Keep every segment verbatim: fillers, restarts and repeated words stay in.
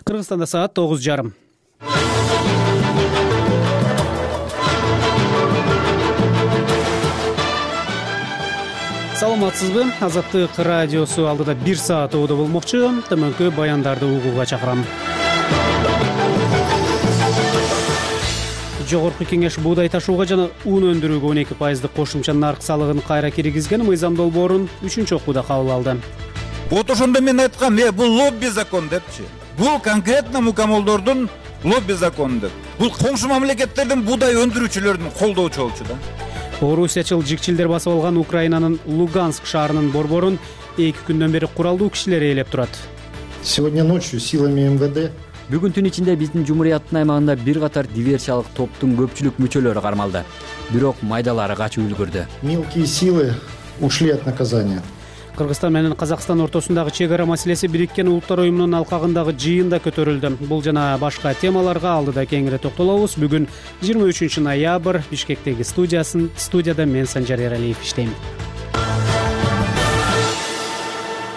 Кыргызстанда саат тогуз жарым. Саламатсызбы? Азаттык радиосу алдыда бир саат оодо болмокчу. Төмөнкү баяндарды угууга чакырам. Жогорку кеңеш буудай ташууга жана ун өндүрүүгө он эки пайыздык кошумча нарк салыгын кайра киргизген мыйзам долбоорун үчүнчү окууда кабыл алды. Вот ошондо мен айткам, э бул лобби закон депчи. Бул конкретно мукамолдордун лобби закону деп. Бул коңшу мамлекеттердин буудай өндүрүүчүлөрүн колдоочу болчу да. Орусиячыл жикчилдер басып алган Украинанын Луганск шаарынын борборун эки күндөн бери куралдуу кишилер ээлеп турат. Сегодня ночью силами эм вэ дэ Бүгүн түн ичинде биздин Жумурияттын аймагында бир катар диверсиялык топтун көпчүлүк мүчөлөрү кармалды. Бирок майдалары качып үлгүрдү. Мелкие силы ушли от наказания. Кыргызстан менен Казакстан ортосундагы чек ара маселеси Бириккен Улуттар уюмунун алкагындагы жыйында көтөрүлдү. Бул жана башка темаларга алдыда кеңири токтолобуз. Бүгүн жыйырма үчүнчү ноябрь Бишкектеги студиясын студияда мен Санжар Эралиев иштейм.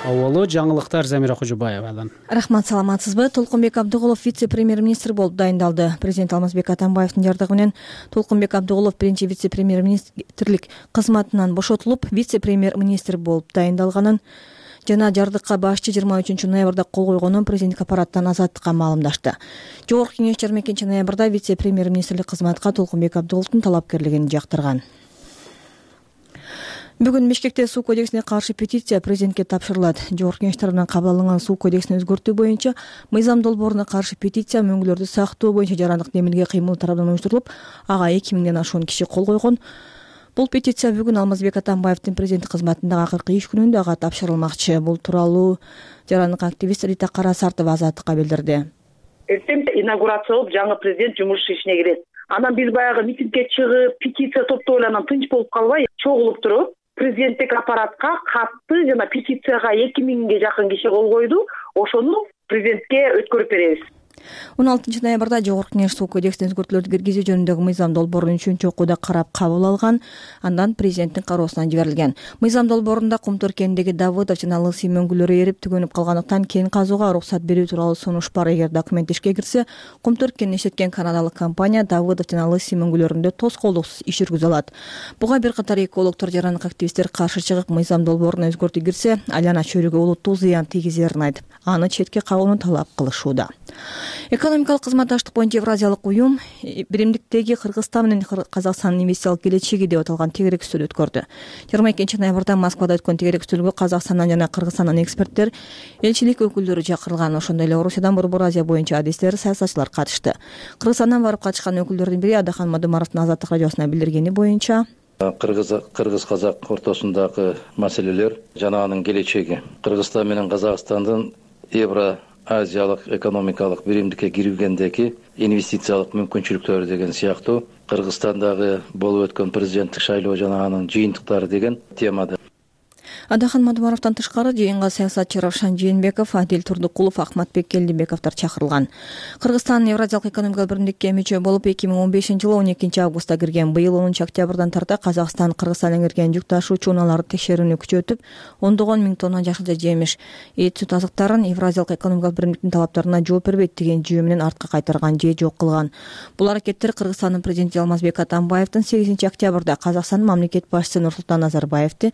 Авалы жаңылыктар Замира Кожобаевадан. Рахмат, саламатсызбы? Толкунбек Абдыгулов вице-премьер-министр болуп дайындалды. Президент Алмазбек Атамбаевдин жардыгы менен Толкунбек Абдыгулов биринчи вице-премьер-министрлик кызматынан бошотулуп, вице-премьер-министр болуп дайындалганын жана жардыкка башчы жыйырма үчүнчү ноябрда кол койгонун президенттик аппараттан Азаттыкка маалымдашты. Жогорку кеңеш жыйырма экинчи ноябрда вице-премьер-министрлик кызматка Толкунбек Абдыгуловдун талапкерлигин жактырган. Бүгүн Бишкекте суу кодексине каршы петиция президентке тапшырылат. Жогорку кеңеш тарабынан кабыл алынган суу кодексин өзгөртүү боюнча мыйзам долбооруна каршы петиция мөңгүлөрдү сактоо боюнча жарандык демилге кыймыл тарабынан уюштурулуп, ага эки миңден ашуун киши кол койгон. Бул петиция бүгүн Алмазбек Атамбаевдин президенттик кызматындагы акыркы иш күнүндө ага тапшырылмакчы. Бул тууралуу жарандык активист Рита Карасартова Азаттыкка билдирди. Эртең инаугурациялап жаңы президент жумуш ишине кирет. Анан биз баягы митингге чыгып, петиция топтоо эле анан тынч болуп калбай, чогулуп туруп президенттик аппаратка катты жана петицияга эки миңге жакын киши кол койду. Ошону президентке өткөрүп беребиз. он алтынчы ноябрда Жогорку кеңеш суу кодексине өзгөртүүлөрдү киргизүү жөнүндөгү мыйзам долбоорун үчүнчү окууда карап кабыл алган, андан президенттин кароосуна жиберилген. Мыйзам долбоорунда Кумтөр кенидеги Давыдов жана Лысый мөңгүлөрү эрип түгөнүп калгандыктан кен казууга уруксат берүү тууралуу сунуш бар. Эгер документ ишке кирсе, Кумтөр кенин иштеткен канадалык компания Давыдов жана Лысый мөңгүлөрүндө тоскоолдуксуз иш жүргүзө алат. Буга бир катар экологдор, жарандык активисттер каршы чыгып, мыйзам долбооруна өзгөртүү кирсе, айлана чөйрөгө олуттуу зыян тийгизерин айтып, аны четке кагууну талап кылышууда. Экономикалык кызматташтык боюнча Евразиялык уюм биримдиктеги Кыргызстан менен Казакстандын инвестициялык келечеги деп аталган тегерек үстөл өткөрдү. жыйырма экинчи ноябрда Москвада өткөн тегерек үстөлгө Казакстандан жана Кыргызстандан эксперттер, элчилик өкүлдөрү чакырылган. Ошондой эле Орусиядан Борбор Азия боюнча адистер, саясатчылар катышты. Кыргызстандан барып катышкан өкүлдөрдүн бири Адахан Мадумаровдун Азаттык радиосуна билдиргени боюнча Кыргыз Кыргыз-Казак ортосундагы маселелер жана анын келечеги, Кыргызстан менен Казакстандын Евро Азиялык экономикалык биримдикке киргендеги инвестициялык мүмкүнчүлүктөрү деген сыяктуу, Кыргызстандагы болуп өткөн президенттик шайлоо жана анын жыйынтыктары деген темада. Адахан Мадумаровдон тышкары жыйынга саясатчы Равшан Жээнбеков, Адил Турдукулов, Ахматбек Келдибековдор чакырылган. Кыргызстан Евразиялык экономикалык биримдикке мүчө болуп эки миң он бешинчи жылы он экинчи августта кирген. Быйыл онунчу октябрдан тарта Казакстан Кыргызстандан кирген жүк ташуучу унааларды текшерүүнү күчөтүп, ондогон миң тонна жашылча жемиш, эт сүт азыктарын Евразиялык экономикалык биримдиктин талаптарына жооп бербейт деген жүйө менен артка кайтарган же жок кылган. Бул аракеттер Кыргызстандын президенти Алмазбек Атамбаевдин сегизинчи октябрда Казакстандын мамлекет башчысы Нурсултан Назарбаевди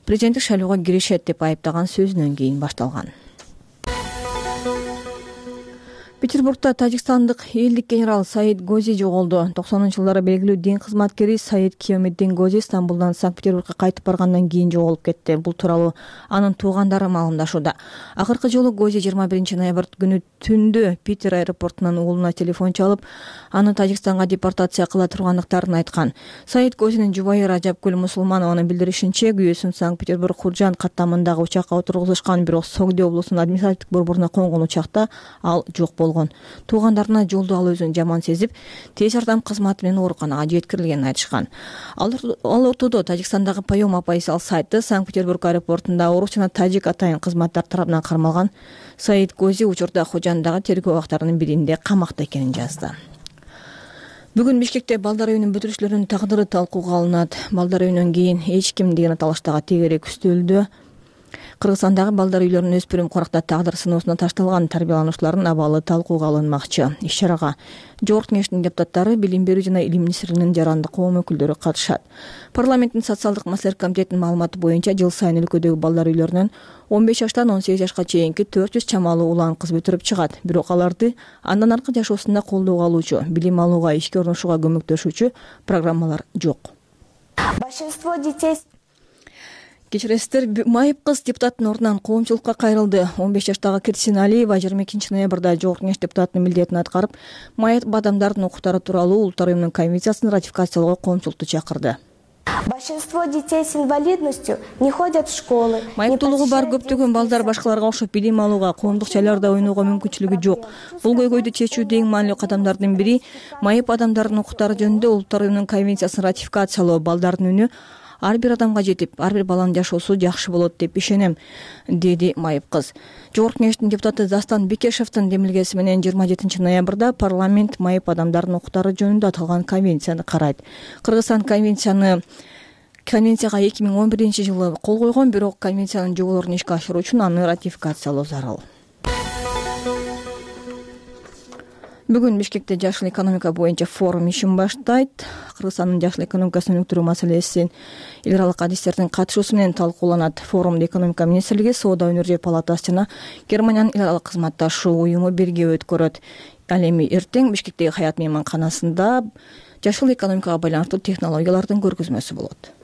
президенттик шайлоого киришет деп айыптаган сөзүнөн кийин башталган. Петербургда тажикстандык элдик генерал Саид Гози жоголду. токсонунчу жылдары белгилүү дин кызматкери Саид Киомеддин Гози Стамбулдан Санкт-Петербургга кайтып баргандан кийин жоголуп кетти. Бул тууралуу анын туугандары маалымдашууда. Акыркы жолу Гози жыйырма биринчи ноябрь күнү түндө Питер аэропортунан уулуна телефон чалып, аны Тажикстанга депортация кыла тургандыктарын айткан. Саид Гозинин жубайы Ражапгүл Мусулманованын билдиришинче, күйөөсүн Санкт-Петербург Хуржан каттамындагы учакка отургузушкан, бирок Согди облусунун административдик борборуна конгон учакта ал жок болгон. Туугандарына жолдо ал өзүн жаман сезип, тез жардам кызматы менен ооруканага жеткирилгенин айтышкан. Ал ортодо Тажикстандагы Пайом Апайсал сайты Санкт-Петербург аэропортунда орус жана тажик атайын кызматтар тарабынан кармалган Саид Гози учурда Хожандагы тергөө абактарынын биринде камакта экенин жазды. Бүгүн Бишкекте балдар үйүнүн бүтүрүүчүлөрүнүн тагдыры талкууга алынат. Балдар үйүнөн кийин эч ким деген аталыштагы тегерек үстөлдө Кыргызстандагы балдар үйлөрүнүн өспүрүм коракта тагдыр сыноосуна ташталган тарбиялануучулардын абалы талкууга алынмакчы. Иш-чарага Жогорку Кеңештин депутаттары, Билим берүү жана Илим министрлигинин жарандык коом өкүлдөрү катышат. Парламенттин социалдык маселелер комитетинин маалыматы боюнча жыл сайын өлкөдөгү балдар үйлөрүнөн он беш жаштан он сегиз жашка чейинки төрт жүз чамалуу улан кыз бүтүрүп чыгат. Бирок аларды андан аркы жашоосунда колдоого алуучу, билим алууга, ишке орношууга көмөктөшүүчү программалар жок. Большинство детей Кечиресиздер, Майып кыз депутаттын ордунан коомчулукка кайрылды. он беш жаштагы Кирсин Алиева жыйырма экинчи ноябрда Жогорку Кеңеш депутатынын милдетин аткарып, майып адамдардын укуктары тууралуу Улуттар уюмунун конвенциясын ратификациялоого коомчулукту чакырды. Большинство детей с инвалидностью не ходят в школы. Майыптуулугу бар көптөгөн балдар башкаларга окшоп билим алууга, коомдук жайларда ойноого мүмкүнчүлүгү жок. Бул көйгөйдү чечүүдө эң маанилүү кадамдардын бири майып адамдардын укуктары жөнүндө Улуттар уюмунун конвенциясын ратификациялоо. Балдардын үнү ар бир адамга жетип, ар бир баланын жашоосу жакшы болот деп ишенем, деди майып кыз. Жогорку Кеңештин депутаты Дастан Бекешевдин демилгеси менен жыйырма жетинчи ноябрда парламент майып адамдардын укуктары жөнүндө аталган конвенцияны карайт. Кыргызстан конвенцияны Конвенцияга эки миң он биринчи жылы кол койгон, бирок конвенциянын жоболорун ишке ашыруу үчүн аны ратификациялоо зарыл. Бүгүн Бишкекте жашыл экономика боюнча форум ишин баштайт. Кыргызстандын жашыл экономикасын өнүктүрүү маселесин эл аралык адистердин катышуусу менен талкууланат. Форумду экономика министрлиги, Соода өнөр палатасы жана Германиянын эл аралык кызматташуу уюму бирге өткөрөт. Ал эми эртең Бишкектеги Хаят мейманканасында жашыл экономикага байланыштуу технологиялардын көргөзмөсү болот.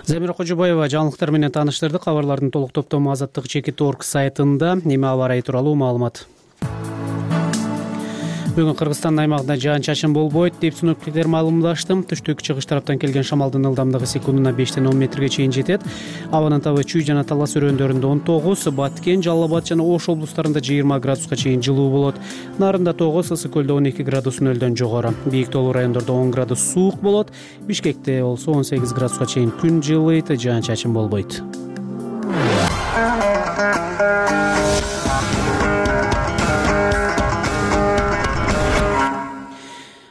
Замира Кожобаева жаңылыктар менен тааныштырды. Кабарлардын толук топтому Азаттык чекит точка орг сайтында. Эми аба ырайы тууралуу маалымат. Бүгүн Кыргызстандын аймагында жаан-чачын болбойт деп синоптиктер маалымдашты. Түштүк чыгыш тараптан келген шамалдын ылдамдыгы секундуна бештен он метрге чейин жетет. Абанын табы Чүй жана Талас өрөөндөрүндө он тогуз, Баткен, Жалал Абад жана Ош облустарында жыйырма градуска чейин жылуу болот. Нарында тогуз, Ысык көлдө он эки градус нөлдөн жогору. Бийик тоолуу райондордо он градус суук болот. Бишкекте болсо он сегиз градуска чейин күн жылыйт, жаан-чачын болбойт.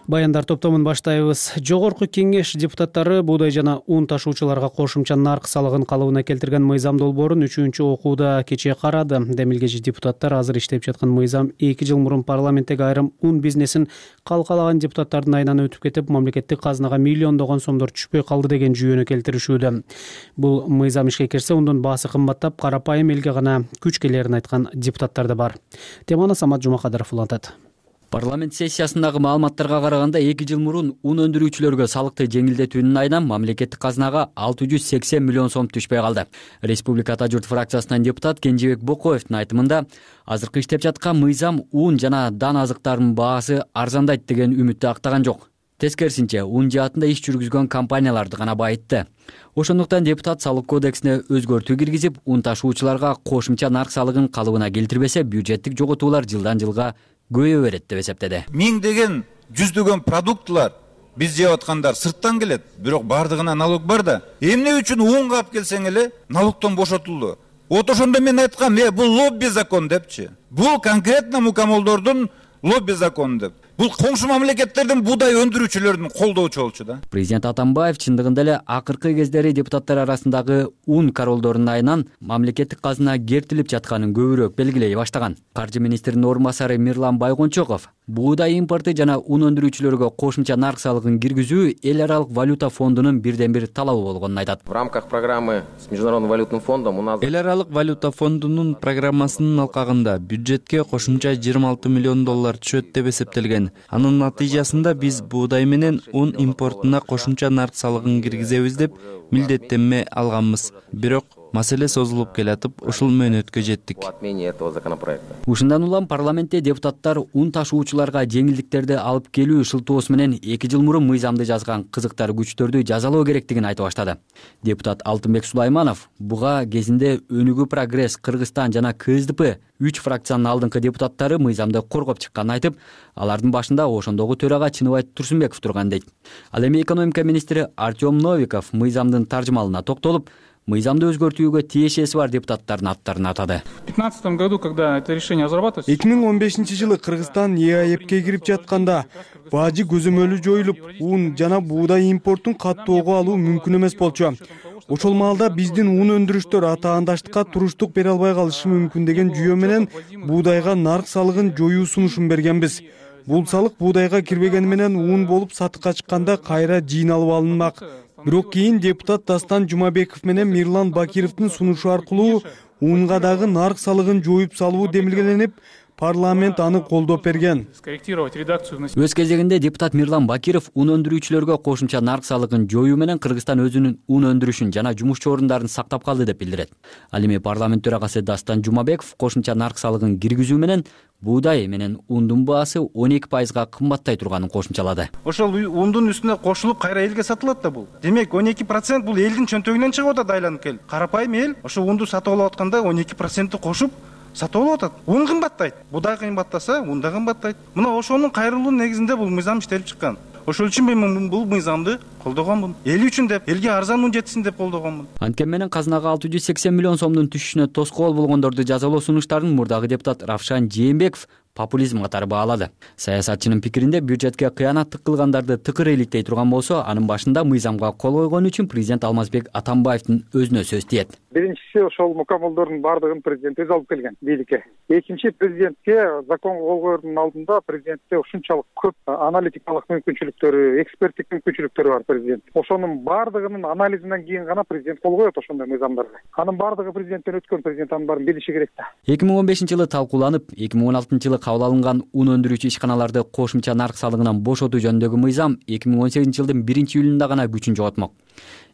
Баяндар топтомун баштайбыз. Жогорку Кеңеш депутаттары буудай жана ун ташуучуларга кошумча нарк салыгын калыбына келтирген мыйзам долбоорун үчүнчү окууда кечээ карады. Демилгечи депутаттар азыр иштеп жаткан мыйзам эки жыл мурун парламенттеги айрым ун бизнесин калкалаган депутаттардын айынан өтүп кетип, мамлекеттик казынага миллиондогон сомдор түшпөй калды деген жүйөнү келтиришүүдө. Бул мыйзам ишке кирсе, ондун баасы кымбаттап, карапайым элге гана күч келерин айткан депутаттар да бар. Теманы Самат Жумакадыров улантат. Парламент сессиясындагы маалыматтарга караганда эки жыл мурун ун өндүрүүчүлөргө салыкты жеңилдетүүнүн айынан мамлекеттик казынага алты жүз сексен миллион сом түшпөй калды. Республика Ата журт фракциясынан депутат Кенжебек Бокоевдин айтымында, азыркы иштеп жаткан мыйзам ун жана дан азыктарынын баасы арзандайт деген үмүттү актаган жок. Тескерисинче, ун жаатында иш жүргүзгөн компанияларды гана байытты. Ошондуктан депутат салык кодексине өзгөртүү киргизип, ун ташуучуларга кошумча нарк салыгын калыбына келтирбесе, бюджеттик жоготуулар жылдан жылга көбөйө берет деп эсептеди. Миңдеген, жүздөгөн продуктылар биз жеп аткандар сырттан келет, бирок бардыгына налог бар да. Эмне үчүн унга алып келсең эле налогтон бошотулду. Вот ошондо мен айткам, э, бул лобби закон депчи. Бул конкретно мукамолдордун лобби закону деп. Бул коңшу мамлекеттердин буудай өндүрүүчүлөрүн колдоочу болчу да. Президент Атамбаев чындыгында эле акыркы кездери депутаттар арасындагы ун королдорунун айынан мамлекеттик казына кертилип жатканын көбүрөөк белгилей баштаган. Каржы министринин орун басары Мирлан Байгончоков буудай импорты жана ун өндүрүүчүлөргө кошумча нарк салыгын киргизүү эл аралык валюта фондунун бирден бир талабы болгонун айтат. В рамках программы с Международным валютным фондом у нас эл аралык валюта фондунун программасынын алкагында бюджетке кошумча жыйырма алты миллион доллар түшөт деп эсептелген. Анын натыйжасында биз буудай менен ун импортуна кошумча нарк салыгын киргизебиз деп милдеттенме алганбыз. Бирок маселе созулуп келатып, ушул мөөнөткө жеттик. Ушундан улам парламентте депутаттар ун ташуучуларга жеңилдиктерди алып келүү шылтоосу менен эки жыл мурун мыйзамды жазган кызыктар күчтөрдү жазалоо керектигин айтып баштады. Депутат Алтынбек Сулайманов буга кезинде Өнүгүү Прогресс, Кыргызстан жана К С Д П үч фракциянын алдыңкы депутаттары мыйзамды коргоп чыкканын айтып, алардын башында ошондогу төрага Чыныбай Турсунбеков турган дейт. Ал эми экономика министри Артем Новиков мыйзамдын таржымалына токтолуп, мыйзамды өзгөртүүгө тиешеси бар депутаттардын аттарын атады. В две тысячи пятнадцатом году, когда это решение разрабатывалось, эки миң он бешинчи жылы Кыргызстан Е А Е П'ке кирип жатканда бажы көзөмөлү жоюлуп, ун жана буудай импортун каттоого алуу мүмкүн эмес болчу. ошол маалда биздин ун өндүрүштөр атаандаштыкка туруштук бере албай калышы мүмкүн деген жүйө менен буудайга нарк салыгын жоюу сунушун бергенбиз. Бул салык буудайга кирбегени менен ун болуп сатыкка чыкканда кайра жыйналып алынмак. Бирок кийин депутат Дастан Жумабеков менен Мирлан Бакировдун сунушу аркылуу унга дагы нарк салыгын жоюп салуу демилгеленип, парламент аны колдоп берген. Өз кезегинде депутат Мирлан Бакиров ун өндүрүүчүлөргө кошумча нарк салыгын жоюу менен Кыргызстан өзүнүн ун өндүрүшүн жана жумушчу орундарын сактап калды деп билдирет. Ал эми парламент төрагасы Дастан Жумабеков кошумча нарк салыгын киргизүү менен буудай менен ундун баасы он эки пайызга кымбаттай турганын кошумчалады. Ошол ундун үстүнө кошулуп кайра элге сатылат да бул. Демек он эки процент бул элдин чөнтөгүнөн чыгып атат айланып келип. Карапайым эл ошо унду сатып алып атканда он эки процентти кошуп сатып алып атат. Ун кымбаттайт. Буудай кымбаттаса, ун да кымбаттайт. Мына ошонун кайрылуу негизинде бул мыйзам иштелип чыккан. Ошол үчүн мен бул мыйзамды колдогонмун. Эл үчүн деп, элге арзан ун жетсин деп колдогонмун. Анткени менен казынага алты жүз сексен миллион сомдун түшүшүнө тоскоол болгондорду жазалоо сунуштарын мурдагы депутат Равшан Жээнбеков популизм катары баалады. Саясатчынын пикиринде бюджетке кыянаттык кылгандарды тыкыр иликтей турган болсо, анын башында мыйзамга кол койгон үчүн президент Алмазбек Атамбаевдин өзүнө сөз тиет. Биринчиси ошол мукаммалдардын бардыгын президент өзү алып келген бийликке. Экинчи, президентке закон кол коердун алдында президентте ушунчалык көп аналитикалык мүмкүнчүлүктөрү, эксперттик мүмкүнчүлүктөрү бар президент. Ошонун бардыгынын анализинен кийин гана президент кол коет ошондой мыйзамдарга. Анын бардыгы президенттен өткөн, президент анын баарын билиши керек да. эки миң он бешинчи жылы талкууланып, эки миң он алтынчы жылы кабыл алынган ун өндүрүүчү ишканаларды кошумча нарк салыгынан бошотуу жөнүндөгү мыйзам эки миң он сегизинчи жылдын биринчи июлунда гана күчүн жоготмок.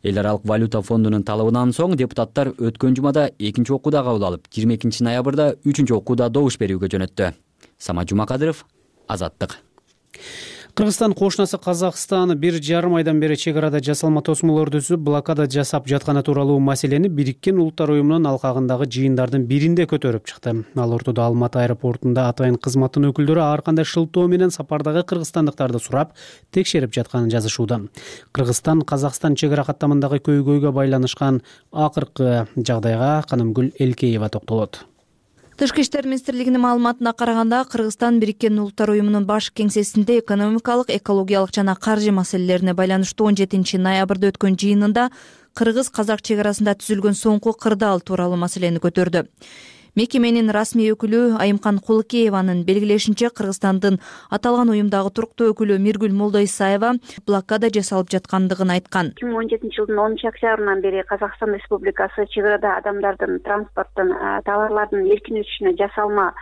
Эл аралык валюта фондунун талабынан соң депутаттар өткөн жумада экинчи окууда кабыл алып, жыйырма экинчи ноябрда үчүнчү окууда добуш берүүгө жөнөттү. Самат Жумакадыров, Азаттык. Кыргызстан кошунасы Казакстан бир жарым айдан бери чек арада жасалма тосмолорду түзүп, блокада жасап жатканы тууралуу маселени Бириккен Улуттар уюмунун алкагындагы жыйындардын биринде көтөрүп чыкты. Ал ортодо Алматы аэропортунда атайын кызматтын өкүлдөрү ар кандай шылтоо менен сапардагы кыргызстандыктарды сурап, текшерип жатканын жазышууда. Кыргызстан Казакстан чек ара каттамындагы көйгөйгө байланышкан акыркы жагдайга Канымгүл Элкеева токтолот. Тышкы иштер министрлигинин маалыматына караганда, Кыргызстан Бириккен Улуттар уюмунун баш кеңсесинде экономикалык, экологиялык жана каржы маселелерине байланыштуу он жетинчи ноябрда өткөн жыйынында кыргыз-казак чек арасында түзүлгөн соңку кырдаал тууралуу маселени көтөрдү. Мекеменин расмий өкүлү Айымкан Кулыкееванын белгилешинче, Кыргызстандын аталган уюмдагы туруктуу өкүлү Миргүл Молдоисаева блокада жасалып жаткандыгын айткан. эки миң он жетинчи жылдын онунчу октябрынан бери Казакстан Республикасы чек арада адамдардын, транспорттун, товарлардын эркин өтүшүнө жасалма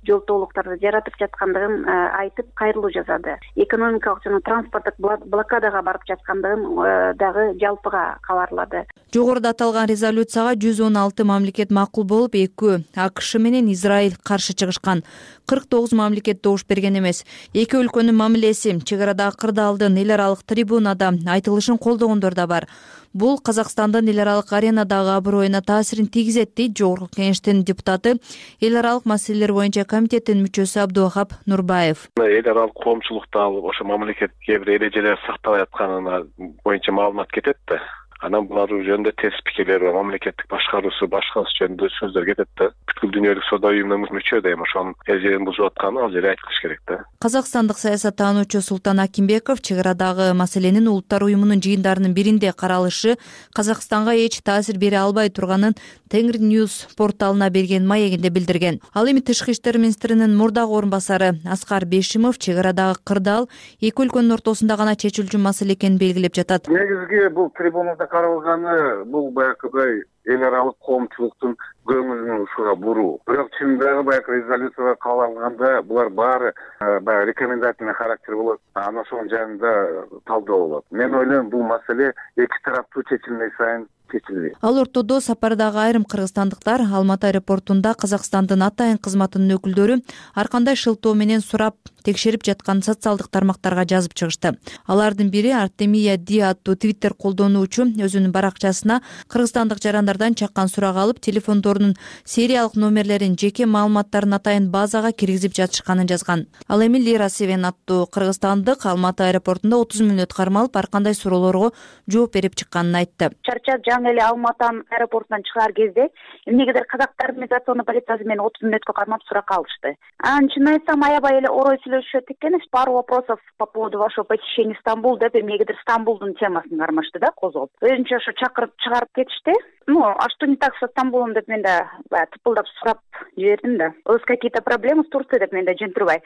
жолтоолуктарды жаратып жаткандыгын айтып, кайрылуу жасады. Экономикалык жана транспорттук блокадага барып жаткандыгын дагы жалпыга кабарлады. Жогоруда аталган резолюцияга жүз он алты мамлекет макул болуп, эки АКШ менен Израиль каршы чыгышкан. кырк тогуз мамлекет добуш берген эмес. Эки өлкөнүн мамилеси чек арадагы кырдаалдын эл аралык трибунада айтылышын колдогондор да бар. Бул Казакстандын эл аралык аренадагы аброюна таасирин тийгизет, дейт Жогорку Кеңештин депутаты, эл аралык маселелер боюнча комитеттин мүчөсү Абдувахап Нурбаев. Эл аралык коомчулукта алып, ошо мамлекет кээ бир эрежелер сакталып атканына боюнча маалымат кетет да. Анан булар жөнүндө терс пикирлер бар, мамлекеттик башкаруусу башкасы жөнүндө сөздөр кетет да. Бүткүл дүйнөлүк соода уюмунун мүчө да эми ошонун эрежелерин бузуп атканын ал жерде айтылыш керек да. Казакстандык саясаттануучу Султан Акимбеков чек арадагы маселенин Улуттар уюмунун жыйындарынын биринде каралышы Казакстанга эч таасир бере албай турганын Тенгри News порталына берген маегинде билдирген. Ал эми Тышкы иштер министринин мурдагы орун басары Аскар Бешимов чек арадагы кырдаал эки өлкөнүн ортосунда гана чечилчү маселе экенин белгилеп жатат. Негизги бул трибунада каралганы бул баягыдай эл аралык коомчулуктун көңүлүн ушуга буруу. Бирок чындыгы баягы резолюцияга кабыл алганда булар баары баягы рекомендательный характер болот. Анан ошонун жанында талдоо болот. Мен ойлойм, бул маселе эки тараптуу чечилмей сайын чечилбейт. Ал ортодо сапардагы айрым кыргызстандыктар Алматы аэропортунда Казакстандын атайын кызматынын өкүлдөрү ар кандай шылтоо менен сурап, текшерип жаткан социалдык тармактарга жазып чыгышты. Алардын бири Артемия Ди аттуу твиттер колдонуучу өзүнүн баракчасына кыргызстандык жарандардан чаккан сурак алып, телефондорунун сериялык номерлерин, жеке маалыматтарын атайын базага киргизип жатышканын жазган. Ал эми Лира Севен аттуу кыргызстандык Алматы аэропортунда отуз мүнөт кармалып, ар кандай суроолорго жооп берип чыкканын айтты. Чарчап жаңы эле Алматы аэропортунан чыгар кезде эмнегедир казактардын миграционный полициясы мени отуз мүнөткө кармап суракка алышты. Анан чын айтсам, аябай эле орой сүйлөп сүйлөшүшөт экен. Пару вопросов по поводу вашего посещения Стамбул деп эмнегедир Стамбулдун темасын кармашты да, козгоп. Өзүнчө ошо чакырып чыгарып кетишти. Ну, а что не так со Стамбулом деп мен да баягы тыпылдап сурап жибердим да. У вас какие-то проблемы с Турцией деп мен да жөн турбай.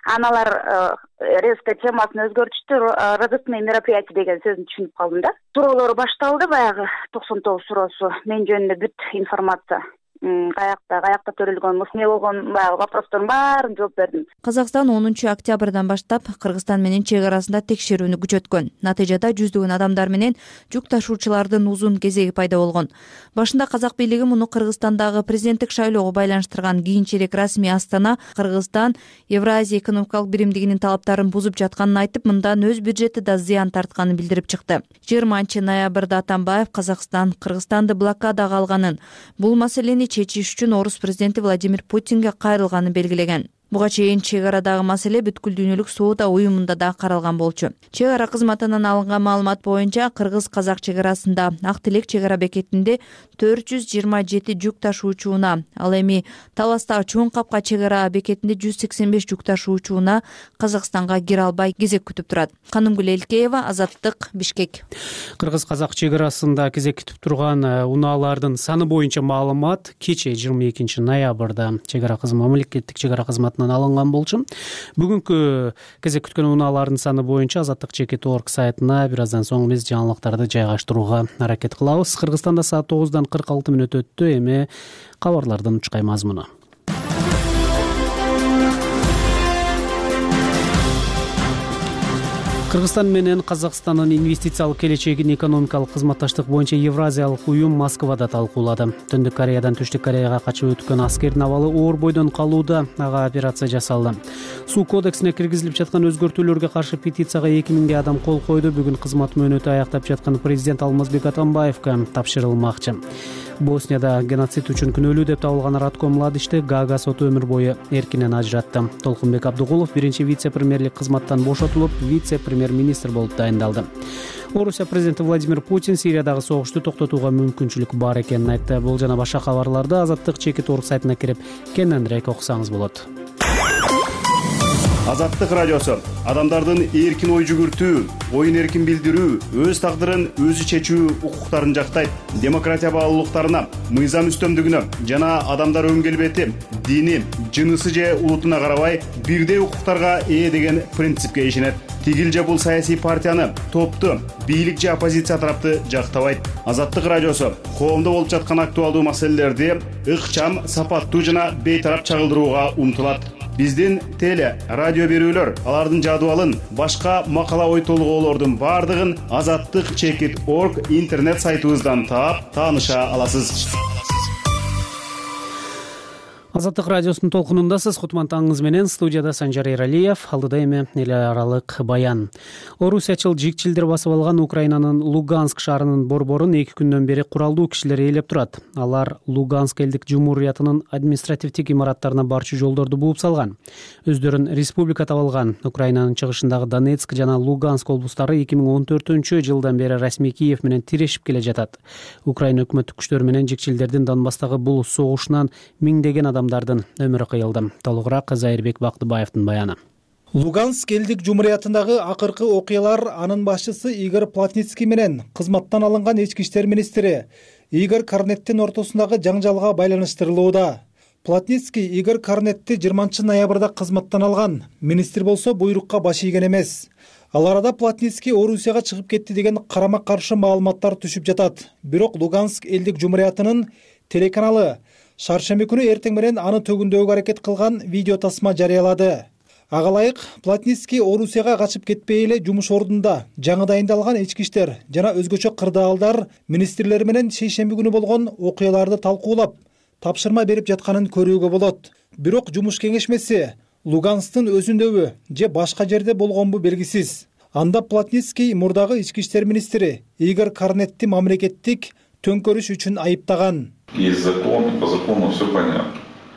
Аналар резко темасын өзгөртүштү, разыскные мероприятия деген сөзүн түшүнүп калдым да. Суроолор башталды, баягы токсон тогуз суроосу мен жөнүндө бүт информация. Каякта, каякта төрөлгөн, эмне болгон баягы вопростордун баарын жооп бердим. Казакстан онунчу октябрдан баштап Кыргызстан менен чек арасында текшерүүнү күчөткөн. Натыйжада жүздөгөн адамдар менен жүк ташуучулардын узун кезеги пайда болгон. Башында казак бийлиги муну Кыргызстандагы президенттик шайлоого байланыштырган. Кийинчерээк расмий Астана Кыргызстан Евразия экономикалык биримдигинин талаптарын бузуп жатканын айтып, мындан өз бюджети да зыян тартканын билдирип чыкты. жыйырманчы ноябрда Атамбаев Казакстан Кыргызстанды блокадага алганын, бул маселени чечиш үчүн орус президенти Владимир Путинге кайрылганын белгилеген. Буга чейин чек арадагы маселе бүткүл дүйнөлүк соода уюмунда да каралган болчу. Чек ара кызматынан алынган маалымат боюнча кыргыз-казак чек арасында Ак Тилек чек ара бекетинде төрт жүз жыйырма жети жүк ташуучуна, ал эми Таластагы Чоң Капка чек ара бекетинде жүз сексен беш жүк ташуучуна Казакстанга кире албай кезек күтүп турат. Канымгүл Элкеева, Азаттык, Бишкек. Кыргыз-казак чек арасында кезек күтүп турган унаалардын саны боюнча маалымат кечээ жыйырма экинчи ноябрда чек ара кызматы мамлекеттик чек ара кызматы алынган болчу. Бүгүнкү кезек күткөн унаалардын саны боюнча азаттык чекит точка орг сайтына бир аздан соң биз жаңылыктарды жайгаштырууга аракет кылабыз. Кыргызстанда саат тогуздан кырк алты мүнөт өттү. Эми кабарлардын учкай мазмуну. Кыргызстан менен Казакстандын инвестициялык келечегин экономикалык кызматташтык боюнча Евразиялык уюм Москвада талкуулады. Түндүк Кореядан Түштүк Кореяга качып өткөн аскердин абалы оор бойдон калууда, ага операция жасалды. Суу кодексине киргизилип жаткан өзгөртүүлөргө каршы петицияга эки миңдей адам кол койду. Бүгүн кызмат мөөнөтү аяктап жаткан президент Алмазбек Атамбаевга тапшырылмакчы. Боснияда геноцид үчүн күнөөлүү деп табылган Радко Младичти Гага соту өмүр бою эркинен ажыратты. Толкунбек Абдыгулов биринчи вице-премьерлик кызматтан бошотулуп, вице-премьер-министр болуп дайындалды. Орусия президенти Владимир Путин Сириядагы согушту токтотууга мүмкүнчүлүк бар экенин айтты. Бул жана башка кабарларды азаттык чекит точка орг сайтына кирип кененирээк окусаңыз болот. Азаттык радиосу адамдардын эркин ой жүгүртүү, оюн эркин билдирүү, өз тагдырын өзү чечүү укуктарын жактайт. Демократия баалуулуктарына, мыйзам үстөмдүгүнө жана адамдар өн келбети, дини, жынысы же улутуна карабай бирдей укуктарга ээ деген принципке ишенет. Тигил же бул саясий партияны, топту, бийлик же оппозиция тарапты жактабайт. Азаттык радиосу коомдо болуп жаткан актуалдуу маселелерди ыкчам, сапаттуу жана бейтарап чагылдырууга умтулат. Биздин теле, радио берүүлөр, алардын жадыбалын, башка макала ой толгоолордун бардыгын азаттык чекит точка орг интернет сайтыбыздан таап, тааныша аласыз. Азаттык радиосунун толкунундасыз. Кутман таңыңыз менен студияда Санжар Эралиев, алдыда эми эл аралык баян. Орусиячыл жикчилдер басып алган Украинанын Луганск шаарынын борборун эки күндөн бери куралдуу кишилер ээлеп турат. Алар Луганск элдик жумуриятынын административдик имараттарына барчу жолдорду бууп салган. Өздөрүн республика деп алган Украинанын чыгышындагы Донецк жана Луганск облустары эки миң он төртүнчү жылдан бери расмий Киев менен тирешип келе жатат. Украина өкмөттүк күчтөр менен жикчилдердин Донбасстагы бул согушунан миңдеген адамдардын өмүрү кыйылды. Толугураак Зайырбек Бактыбаевдин баяны. Луганск элдик жумуриятындагы акыркы окуялар анын башчысы Игорь Плотницкий менен кызматтан алынган ички иштер министри Игорь Корнеттин ортосундагы жаңжалга байланыштырылууда. Плотницкий Игорь Корнетти жыйырманчы ноябрда кызматтан алган. Министр болсо буйрукка баш ийген эмес. Ал арада Плотницкий Орусияга чыгып кетти деген карама каршы маалыматтар түшүп жатат. Бирок Луганск элдик жумуриятынын телеканалы шаршемби күнү эртең менен аны төгүндөгө аракет кылган видео тасма жарыялады. Ага ылайык Плотницкий Орусияга качып кетпей эле жумуш ордунда жаңы дайындалган ички иштер жана өзгөчө кырдаалдар министрлери менен шейшемби күнү болгон окуяларды талкуулап, тапшырма берип жатканын көрүүгө болот. Бирок жумуш кеңешмеси Лугансктын өзүндөбү же башка жерде болгонбу белгисиз. Анда Плотницкий мурдагы ички иштер министри Игорь Корнетти мамлекеттик төңкөрүш үчүн айыптаган. Есть закон, по закону все понятно.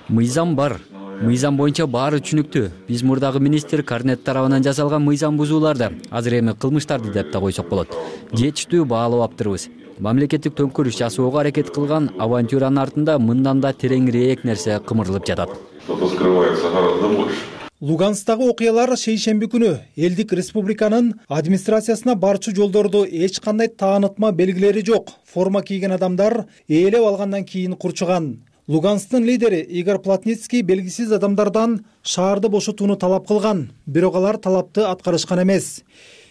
Мыйзам бар. Мыйзам боюнча баары түшүнүктүү. Биз мурдагы министр Корнет тарабынан жасалган мыйзам бузууларды, азыр эми кылмыштарды деп да койсок болот. Жетиштүү баалап аптырбыз. Мамлекеттик төңкөрүш жасоого аракет кылган авантюранын артында мындан да тереңирээк нерсе кымырылып жатат. Что-то скрывается гораздо больше. Луганстагы окуялар шейшемби күнү элдик республиканын администрациясына барчу жолдорду эч кандай таанытма белгилери жок форма кийген адамдар ээлеп алгандан кийин курчуган. Луганстын лидери Игорь Плотницкий белгисиз адамдардан шаарды бошотууну талап кылган, бирок алар талапты аткарышкан эмес.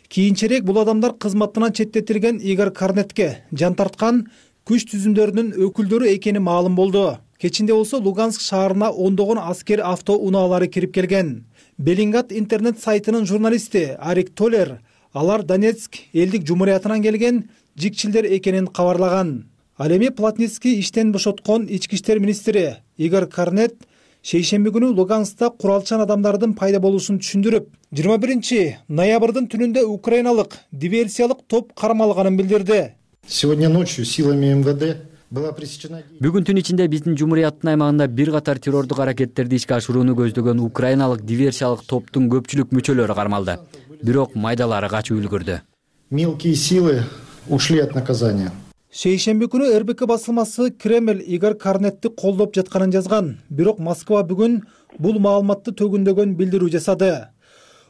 Кийинчерээк бул адамдар кызматынан четтетилген Игорь Карнетке жан тарткан күч түзүмдөрүнүн өкүлдөрү экени маалым болду. Кечинде болсо Луганск шаарына ондогон аскер авто унаалары кирип келген. Белинград интернет сайтынын журналисти Арик Толер алар Донецк элдик жумуриятынан келген жикчилдер экенин кабарлаган. Ал эми Плотницкий иштен бошоткон ички иштер министри Игорь Карнет шейшемби күнү Луганскта куралчан адамдардын пайда болуусун түшүндүрүп, жыйырма биринчи ноябрдын түнүндө украиналык диверсиялык топ кармалганын билдирди. Сегодня ночью силами МВД была пресечена... Бүгүн түн ичинде биздин жумурияттын аймагында бир катар террордук аракеттерди ишке ашырууну көздөгөн украиналык диверсиялык топтун көпчүлүк мүчөлөрү кармалды. Бирок майдалары качып үлгүрдү. Мелкие силы ушли от наказания. Шейшемби күнү эр бэ ка басылмасы Кремль Игорь Карнетти колдоп жатканын жазган. Бирок Москва бүгүн бул маалыматты төгүндөгөн билдирүү жасады.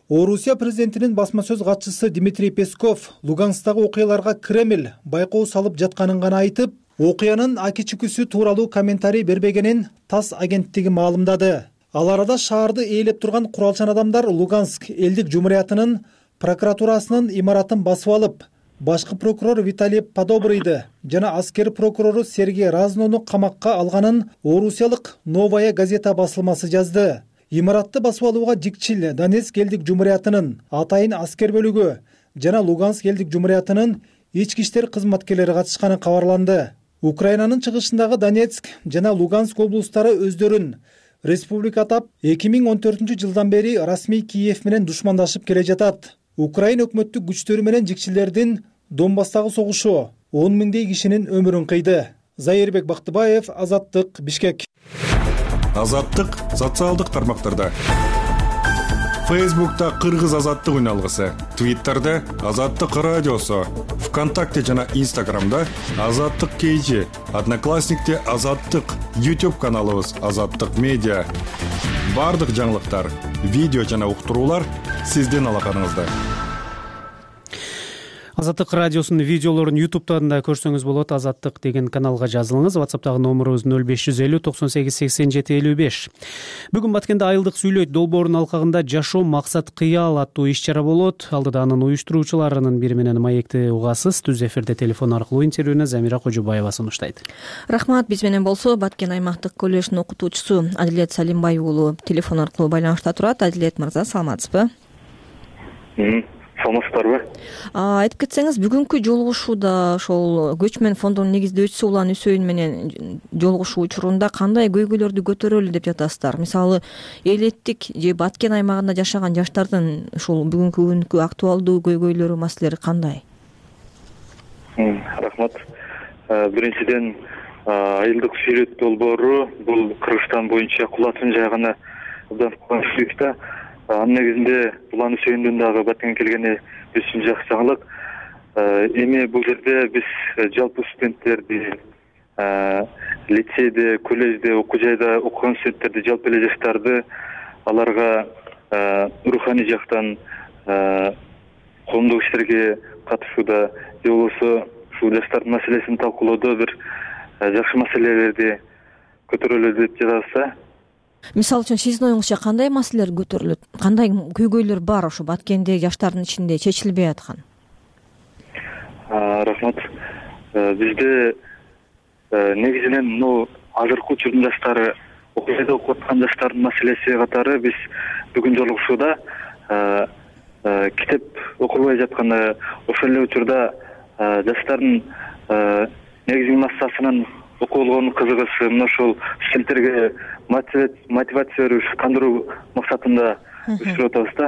Орусия президентинин басма сөз катчысы Дмитрий Песков Луганстагы окуяларга Кремль байкоо салып жатканын гана айтып, окуянын аки чүкүсү тууралуу комментарий бербегенин ТАСС агенттиги маалымдады. Ал арада шаарды ээлеп турган куралчан адамдар Луганск элдик жумуриятынын прокуратурасынын имаратын басып алып, башкы прокурор Виталий Подобрыйды жана аскер прокурору Сергей Разнону камакка алганын орусиялык Новая газета басылмасы жазды. Имаратты басып алууга жикчил Донецк элдик жумуриятынын атайын аскер бөлүгү жана Луганск элдик жумуриятынын ички иштер кызматкерлери катышканы кабарланды. Украинанын чыгышындагы Донецк жана Луганск облустары өздөрүн республика атап эки миң он төртүнчү жылдан бери расмий Киев менен душмандашып келе жатат. Украина өкмөттүк күчтөрү менен жикчилдердин Донбасстагы согушу он миңдей кишинин өмүрүн кыйды. Зайырбек Бактыбаев, Азаттык, Бишкек. Азаттык социалдык тармактарда. Фейсбукта Кыргыз азаттык үналгысы, Твиттерде Азаттык радиосу, ВКонтакте жана Инстаграмда Азаттык кейжи, Одноклассникте Азаттык, YouTube каналыбыз Азаттык медиа. Бардык жаңылыктар, видео жана уктуруулар сиздин алаканыңызда. Азаттык радиосунун видеолорун ютубтан да көрсөңүз болот. Азаттык деген каналга жазылыңыз. WhatsApp'тагы номерубуз нөл беш жүз элүү токсон сегиз сексен жети элүү беш. Бүгүн Баткенде Айылдык сүйлөйт долбоорунун алкагында жашоо максат кыял аттуу иш-чара болот. Алдыда анын уюштуруучуларынын бири менен маекти угасыз. Түз эфирде телефон аркылуу интервьюну Замира Кожубаева сунуштайт. Рахмат, биз менен болсо Баткен аймактык коллеждин окутуучусу Адилет Салимбай уулу телефон аркылуу байланышта турат. Адилет мырза, саламатсызбы? Саламатсыздарбы? Айтып кетсеңиз, бүгүнкү жолугушууда ошол көчмөн фондунун негиздөөчүсү Улан Үсөйүн менен жолугушуу учурунда кандай көйгөйлөрдү көтөрөлү деп жатасыздар? Мисалы, элеттик же Баткен аймагында жашаган жаштардын ушул бүгүнкү күnkү актуалдуу көйгөйлөрү, маселелери кандай? Рахмат. Биринчиден, айылдык сүйлөт долбоору бул Кыргызстан боюнча кулатын жайганы абдан кубанычтуу. Анын негизинде Улан Үсөйүндүн дагы Баткенге келгени биз үчүн жакшы жаңылык. Эми бул жерде биз жалпы студенттерди, лицейде, коллежде, окуу жайда окуган студенттерди, жалпы эле жаштарды аларга руханий жактан коомдук иштерге катышууда же болбосо ушул жаштардын маселесин талкуулоодо бир жакшы маселелерди көтөрөлү деп жатабыз. Мисалы үчүн сиздин оюңузча кандай маселелер көтөрүлөт? Кандай көйгөйлөр бар ошо Баткенде жаштардын ичинде чечилбей аткан? Рахмат. Бизде негизинен мына азыркы учурдун жаштары, окуу жайда окуп аткан жаштардын маселеси катары биз бүгүн жолугушууда китеп окубай жатканда ошол эле учурда жаштардын негизги массасынын окуу болгон кызыгышы мына ошол студенттерге мотивация берип кандыруу максатында уюштуруп атабыз да.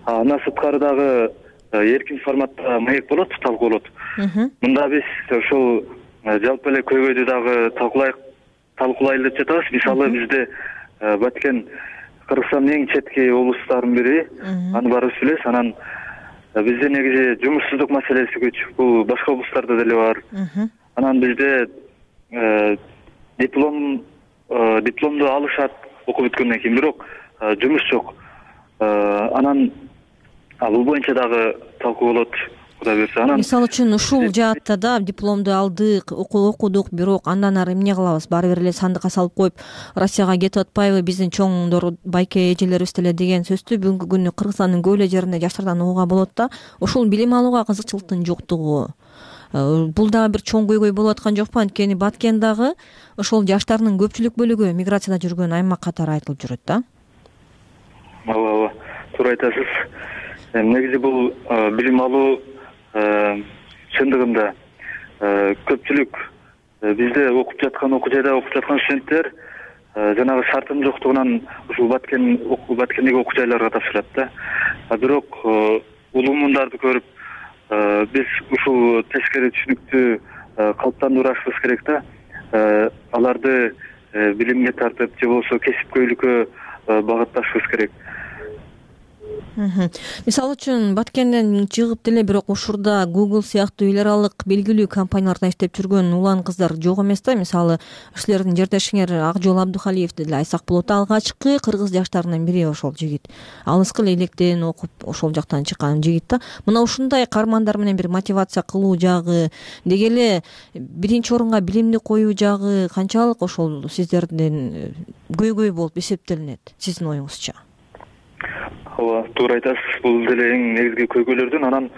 Андан сырткары дагы эркин форматта маек болот, талкуулот. Мында биз ошол жалпы эле көйгөйдү дагы талкуулайк талкуулайлы деп жатабыз. Мисалы бизде Баткен Кыргызстандын эң четки облустарынын бири, аны баарыбыз билебиз. Анан бизде негизи жумушсуздук маселеси көч, бул башка облустарда деле бар. Анан бизде диплом дипломду алышат окуп бүткөндөн кийин, бирок жумуш жок. анан бул боюнча дагы талкуу болот, кудай буюрса. Анан мисалы үчүн ушул жаатта да дипломду алдык, окудук, бирок андан ары эмне кылабыз? Баары бир эле сандыкка салып коюп, Россияга кетип атпайбы, биздин чоңдор, байке эжелерибиз деле деген сөздү бүгүнкү күнү Кыргызстандын көп эле жеринде жаштардан угууга болот да. Ушул билим алууга кызыкчылыктын жоктугу бул дагы бир чоң көйгөй болуп аткан жокпу? Анткени Баткен дагы ошол жаштардын көпчүлүк бөлүгү миграцияда жүргөн аймак катары айтылып жүрөт да. Ооба, ооба, туура айтасыз. Негизи бул билим алуу чындыгында көпчүлүк бизде окуп жаткан, окуу жайда окуп жаткан студенттер жанагы шартынын жоктугунан ушул Баткен Баткендеги окуу жайларга тапшырат да. Бирок улуу мундарды көрүп биз ушул тескери түшүнүктү калыптандырышыбыз керек да. Аларды билимге тартып же болбосо кесипкөйлүккө багытташыбыз керек. Мисалы үчүн Баткенден чыгып деле бирок ушурда Google сыяктуу эл аралык белгилүү компанияларда иштеп жүргөн улан кыздар жок эмес да. Мисалы силердин жердешиңер Акжол Абдухалиевди деле айсак болот. Алгачкы кыргыз жаштарынын бири ошол жигит. Алыскы электен окуп ошол жактан чыккан жигит да. Мына ушундай каармандар менен бир мотивация кылуу жагы, деги эле биринчи орунга билимди коюу жагы канчалык ошол сиздердин көйгөй болуп эсептелинет сиздин оюңузча? Ооба, туура айтасыз. Бул деле эң негизги көйгөйлөрдүн. Анан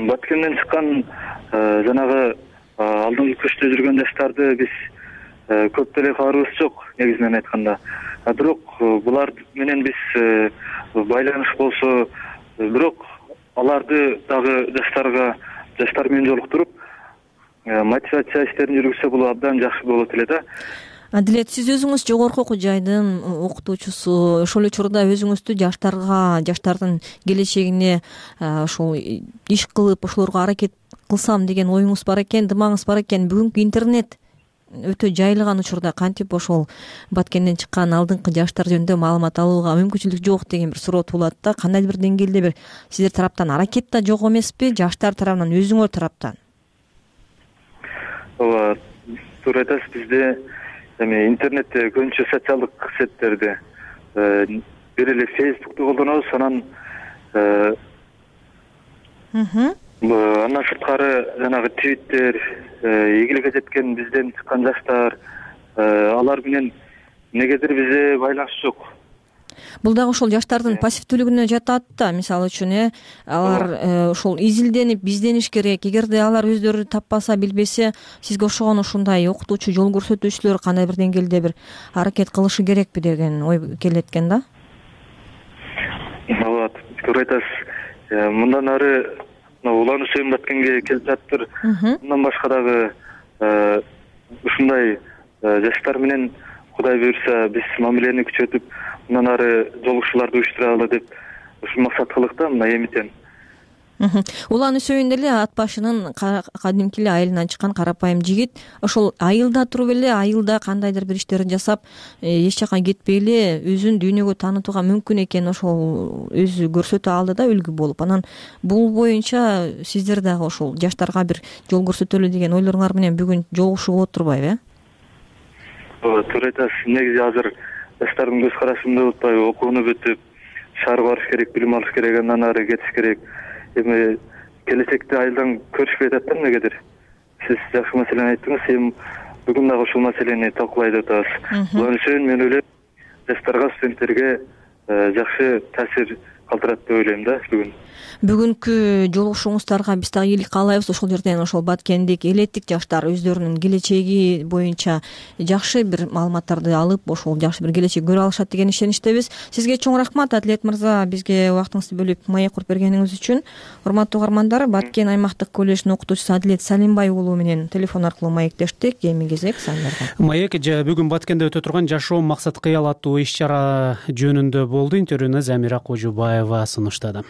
Баткенден чыккан жанагы алдыңкы көчтө жүргөн жаштарды биз көп деле каарыбыз жок, негизинен айтканда. Бирок булар менен биз байланыш болсо, бирок аларды дагы жаштарга жаштар менен жолуктуруп мотивация иштерин жүргүзсө бул абдан жакшы болот эле да. Адилет, сиз өзүңүз жогорку окуу жайдын окутуучусу, ошол учурда өзүңүздү жаштарга, жаштардын келечегине ушул иш кылып, ошолорго аракет кылсам деген оюңуз бар экен, дымагыңыз бар экен. Бүгүнкү интернет өтө жайылган учурда кантип ошол Баткенден чыккан алдыңкы жаштар жөнүндө маалымат алууга мүмкүнчүлүк жок деген бир суроо туулат да. Кандайдыр бир деңгээлде бир сиздер тараптан аракет да жок эмеспи, жаштар тарабынан, өзүңөр тараптан? Ооба, туура айтасыз. Бизде эми интернетте көбүнчө социалдык сеттерди, бир эле Facebook'ту колдонобуз, анан андан сырткары жанагы Twitter, ийгиликке жеткен бизден чыккан жаштар, алар менен негедир бизде байланыш жок. Бул дагы ошол жаштардын пассивдүүлүгүнө жатат да. Мисалы үчүн э алар ошол изилденип, биздениш керек. Эгерде алар өздөрү таппаса, билбесе, сизге окшогон ушундай окутуучу, жол көрсөтүүчүлөр кандай бир деңгээлде бир аракет кылышы керекпи деген ой келет экен да. Ооба, туура айтасыз. Мындан ары улануу сөйүн Баткенге келип жатыптыр. Мындан башка дагы ушундай жаштар менен кудай буюрса биз мамилени күчөтүп, мындан ары жолугушууларды уюштуралы деп ушул максат кылдык да, мына эмитен. Улан Үсөйүн деле ат башынын кадимки эле айылынан чыккан карапайым жигит. Ошол айылда туруп эле, айылда кандайдыр бир иштерин жасап, эч жака кетпей эле өзүн дүйнөгө таанытууга мүмкүн экен ошол өзү көрсөтө алды да, үлгү болуп. Анан бул боюнча сиздер дагы ошол жаштарга бир жол көрсөтөлү деген ойлоруңар менен бүгүн жолугушуу болот турбайбы, э? Ооба, туура айтасыз. Негизи азыр жаштардын көз карашын деп атпайбы, окууну бүтүп, шаарга барыш керек, билим алыш керек, андан ары кетиш керек. Эми келечекте айылдан көрүшпөй атат да эмнегедир. Сиз жакшы маселени айттыңыз. Эми бүгүн дагы ушул маселени талкуулай деп атабыз. Улан Үсөйүн, мен ойлойм, жаштарга, студенттерге жакшы таасир калтырат деп ойлойм да бүгүн. Бүгүнкү жолугушууңуздарга биз дагы ийгилик каалайбыз. Ошол жерден ошол Баткендик элеттик жаштар өздөрүнүн келечеги боюнча жакшы бир маалыматтарды алып, ошол жакшы бир келечек көрө алышат деген ишеничтебиз. Сизге чоң рахмат, Адилет мырза, бизге убактыңызды бөлүп маек куруп бергениңиз үчүн. Урматтуу угармандар, Баткен аймактык колледждин окутуучусу Адилет Салимбай уулу менен телефон аркылуу маектештик. Эми кезек сандерде. Маек бүгүн Баткенде өтө турган жашоо максат кыял аттуу иш-чара жөнүндө болду. Интервьюну Замира Кожубаева сунуштады.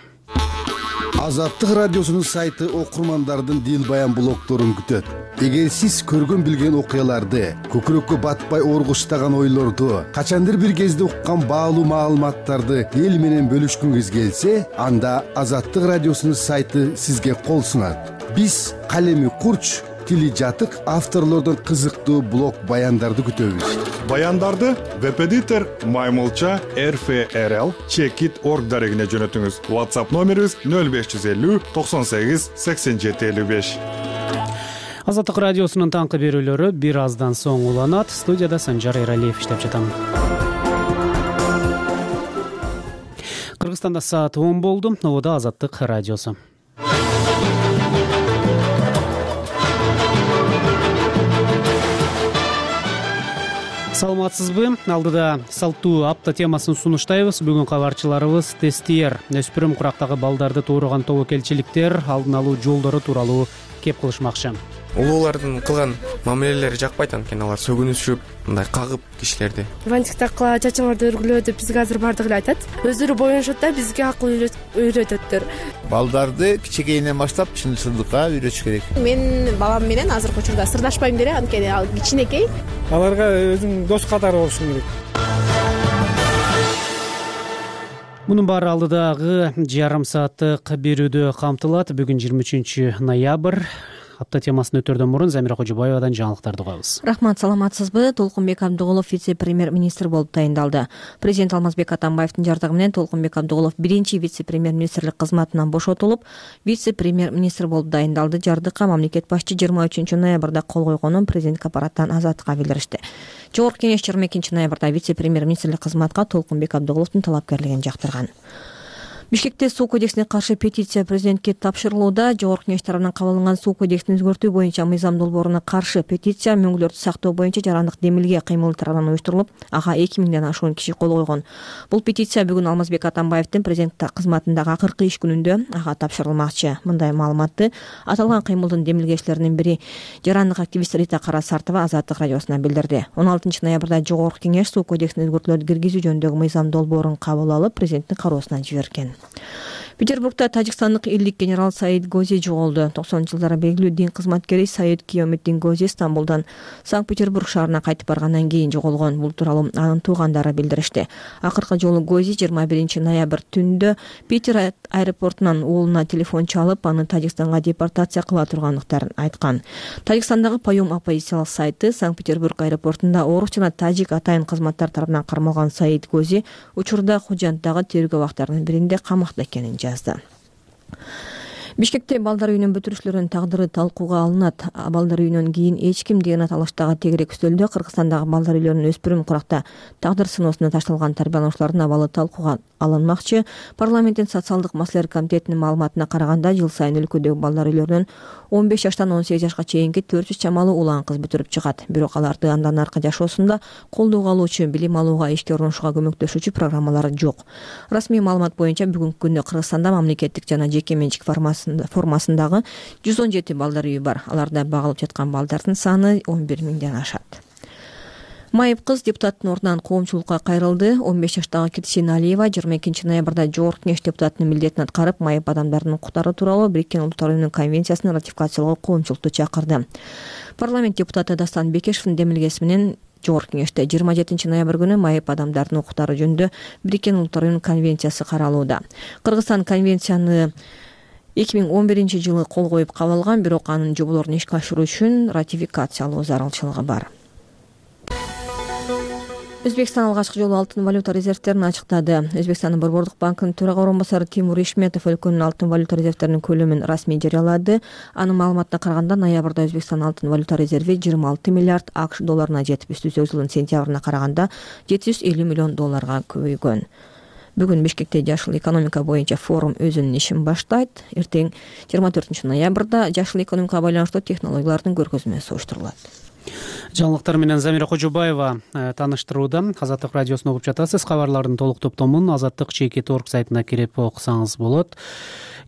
Азаттык радиосунун сайты окурмандардын дил баян блогдорун күтөт. Эгер сиз көргөн билген окуяларды, көкүрөккө батпай оргуштаган ойлорду, качандыр бир кезде уккан баалуу маалыматтарды эл менен бөлүшкүңүз келсе, анда Азаттык радиосунун сайты сизге кол сунат. Биз калеми курч, тили жатык авторлордон кызыктуу блог баяндарды күтөбүз. Баяндарды веб-эдитор маймылча эр эф эр эл чекит точка орг дарегине жөнөтүңүз. WhatsApp номерибиз нөл беш жүз элүү токсон сегиз сексен жети элүү беш. Азаттык радиосунун таңкы берүүлөрү бир аздан соң уланат. Студияда Санжар Эралиев иштеп жатам. Кыргызстанда саат он болду. Ободо Азаттык радиосу. Саламатсызбы? Алдыда салттуу апта темасын сунуштайбыз. Бүгүн кабарчыларыбыз тестиер, өспүрүм курактагы балдарды тууруган тобокелчиликтер алдын алуу жолдору тууралуу кеп кылышмакчы. Улуулардын кылган мамилелери жакпайт, анткени алар сөгүнүшүп, мындай кагып кишилерди. Вантиктакла чачаңарды өргүлөө деп бизге азыр бардыгы эле айтат. Өздөрү боюнушат да бизге акыл үйрөтөттөр. Балдарды кичинекейинен баштап чынчылдыкка үйрөтүш керек. Мен балам менен азыркы учурда сырдашпайм деле, анткени ал кичинекей. Аларга өзүң дос катары болушуң керек. Мунун баары алдыдагы жарым сааттык берүүдө камтылат. Бүгүн жыйырма үчүнчү ноябрь. Апта темасын өтөрдөн мурун Замира Кожобаевадан жаңылыктарды угабыз. Рахмат, саламатсызбы? Толкунбек Абдыголов вице-премьер-министр болуп тайындалды. Президент Алмазбек Атамбаевдин жардыгы менен Толкунбек Абдыголов биринчи вице-премьер-министрлик кызматынан бошотулуп, вице-премьер-министр болуп дайындалды. Жардыкка мамлекет башчы жыйырма үчүнчү ноябрда кол койгонун президенттик аппараттан Азаттыкка билдиришти. Жогорку кеңеш жыйырма экинчи ноябрда вице-премьер-министрлик кызматка Толкунбек Абдыголовдун талапкерлигин жактырган. Бишкекте суу кодексине каршы петиция президентке тапшырылууда. Жогорку кеңеш тарабынан кабыл алынган суу кодексин өзгөртүү боюнча мыйзам долбооруна каршы петиция мөңгүлөрдү сактоо боюнча жарандык демилге кыймыл тарабынан уюштурулуп, ага эки миңден ашуун киши кол койгон. Бул петиция бүгүн Алмазбек Атамбаевдин президенттик кызматындагы акыркы иш күнүндө ага тапшырылмакчы. Мындай маалыматты аталган кыймылдын демилгечилеринин бири жарандык активист Рита Карасартова Азаттык радиосуна билдирди. он алтынчы ноябрда Жогорку кеңеш суу кодексине өзгөртүүлөрдү киргизүү жөнүндөгү мыйзам долбоорун кабыл алып, президенттин кароосуна жиберген. Петербургда тажикстандык элдик генерал Саид Гози жоголду. токсонунчу жылдары белгилүү дин кызматкери Саид Киометтин Гози Стамбулдан Санкт-Петербург шаарына кайтып баргандан кийин жоголгон. Бул тууралуу анын туугандары билдиришти. Акыркы жолу Гози жыйырма биринчи ноябрь түндө Питер аэропортунан уулуна телефон чалып, аны Тажикстанга депортация кыла тургандыктарын айткан. Тажикстандагы Паюм оппозициялык сайты Санкт-Петербург аэропортунда орус жана тажик атайын кызматтар тарабынан кармалган Саид Гози учурда Хужанттагы тергөө абактарынын биринде камакта экенин жазды. Бишкекте балдар үйүнүн бүтүрүүчүлөрүнүн тагдыры талкууга алынат. Балдар үйүнөн кийин эч ким деген аталыштагы тегерек үстөлдө Кыргызстандагы балдар үйлөрүнүн өспүрүм куракта тагдыр сыноосуна ташталган тарбиялануучулардын абалы талкууга алынмакчы. Парламенттин социалдык маселелер комитетинин маалыматына караганда, жыл сайын өлкөдөгү балдар үйлөрүнөн он беш жаштан он сегиз жашка чейинки төрт жүз чамалуу улан кыз бүтүрүп чыгат. Бирок аларды андан аркы жашоосунда колдоого алуучу, билим алууга, ишке орношууга көмөктөшүүчү программалар жок. Расмий маалымат боюнча бүгүнкү күндө Кыргызстанда мамлекеттик жана жеке менчик формасындагы жүз он жети балдар үйү бар. Аларда багылып жаткан балдардын саны он бир миңден ашат. Майып кыз депутаттын ордунан коомчулукка кайрылды. он беш жаштагы Кирсин Алиева жыйырма экинчи ноябрда Жогорку кеңеш депутатынын милдетин аткарып, майып адамдардын укуктары тууралуу Бириккен Улуттар уюмунун конвенциясын ратификациялоого коомчулукту чакырды. Парламент депутаты Дастан Бекешевдин демилгеси менен Жогорку кеңеште жыйырма жетинчи ноябрь күнү майып адамдардын укуктары жөнүндө Бириккен Улуттар уюмунун конвенциясы каралууда. Кыргызстан конвенцияны эки миң он биринчи жылы кол коюп кабыл алган, бирок анын жоболорун ишке ашыруу үчүн ратификациялоо зарылчылыгы бар. Өзбекстан алгачкы жолу алтын валюта резервтерин ачыктады. Өзбекстандын Борбордук банкынын төрага орун басары Тимур Ишметов өлкөнүн алтын валюта резервтеринин көлөмүн расмий жарыялады. Анын маалыматына караганда, ноябрда Өзбекстан алтын валюта резерви жыйырма алты миллиард акш долларына жетип, үстү жылдын сентябрына караганда жети жүз элүү миллион долларга көбөйгөн. Бүгүн Бишкекте жашыл экономика боюнча форум өзүнүн ишин баштайт. Эртең жыйырма төртүнчү ноябрда жашыл экономикага байланыштуу технологиялардын көргөзмөсү уюштурулат. Жаңылыктар менен Замира Кожобаева тааныштырууда. Азаттык радиосун угуп жатасыз. Кабарлардын толук топтомун азаттык чекит точка орг сайтына кирип окусаңыз болот.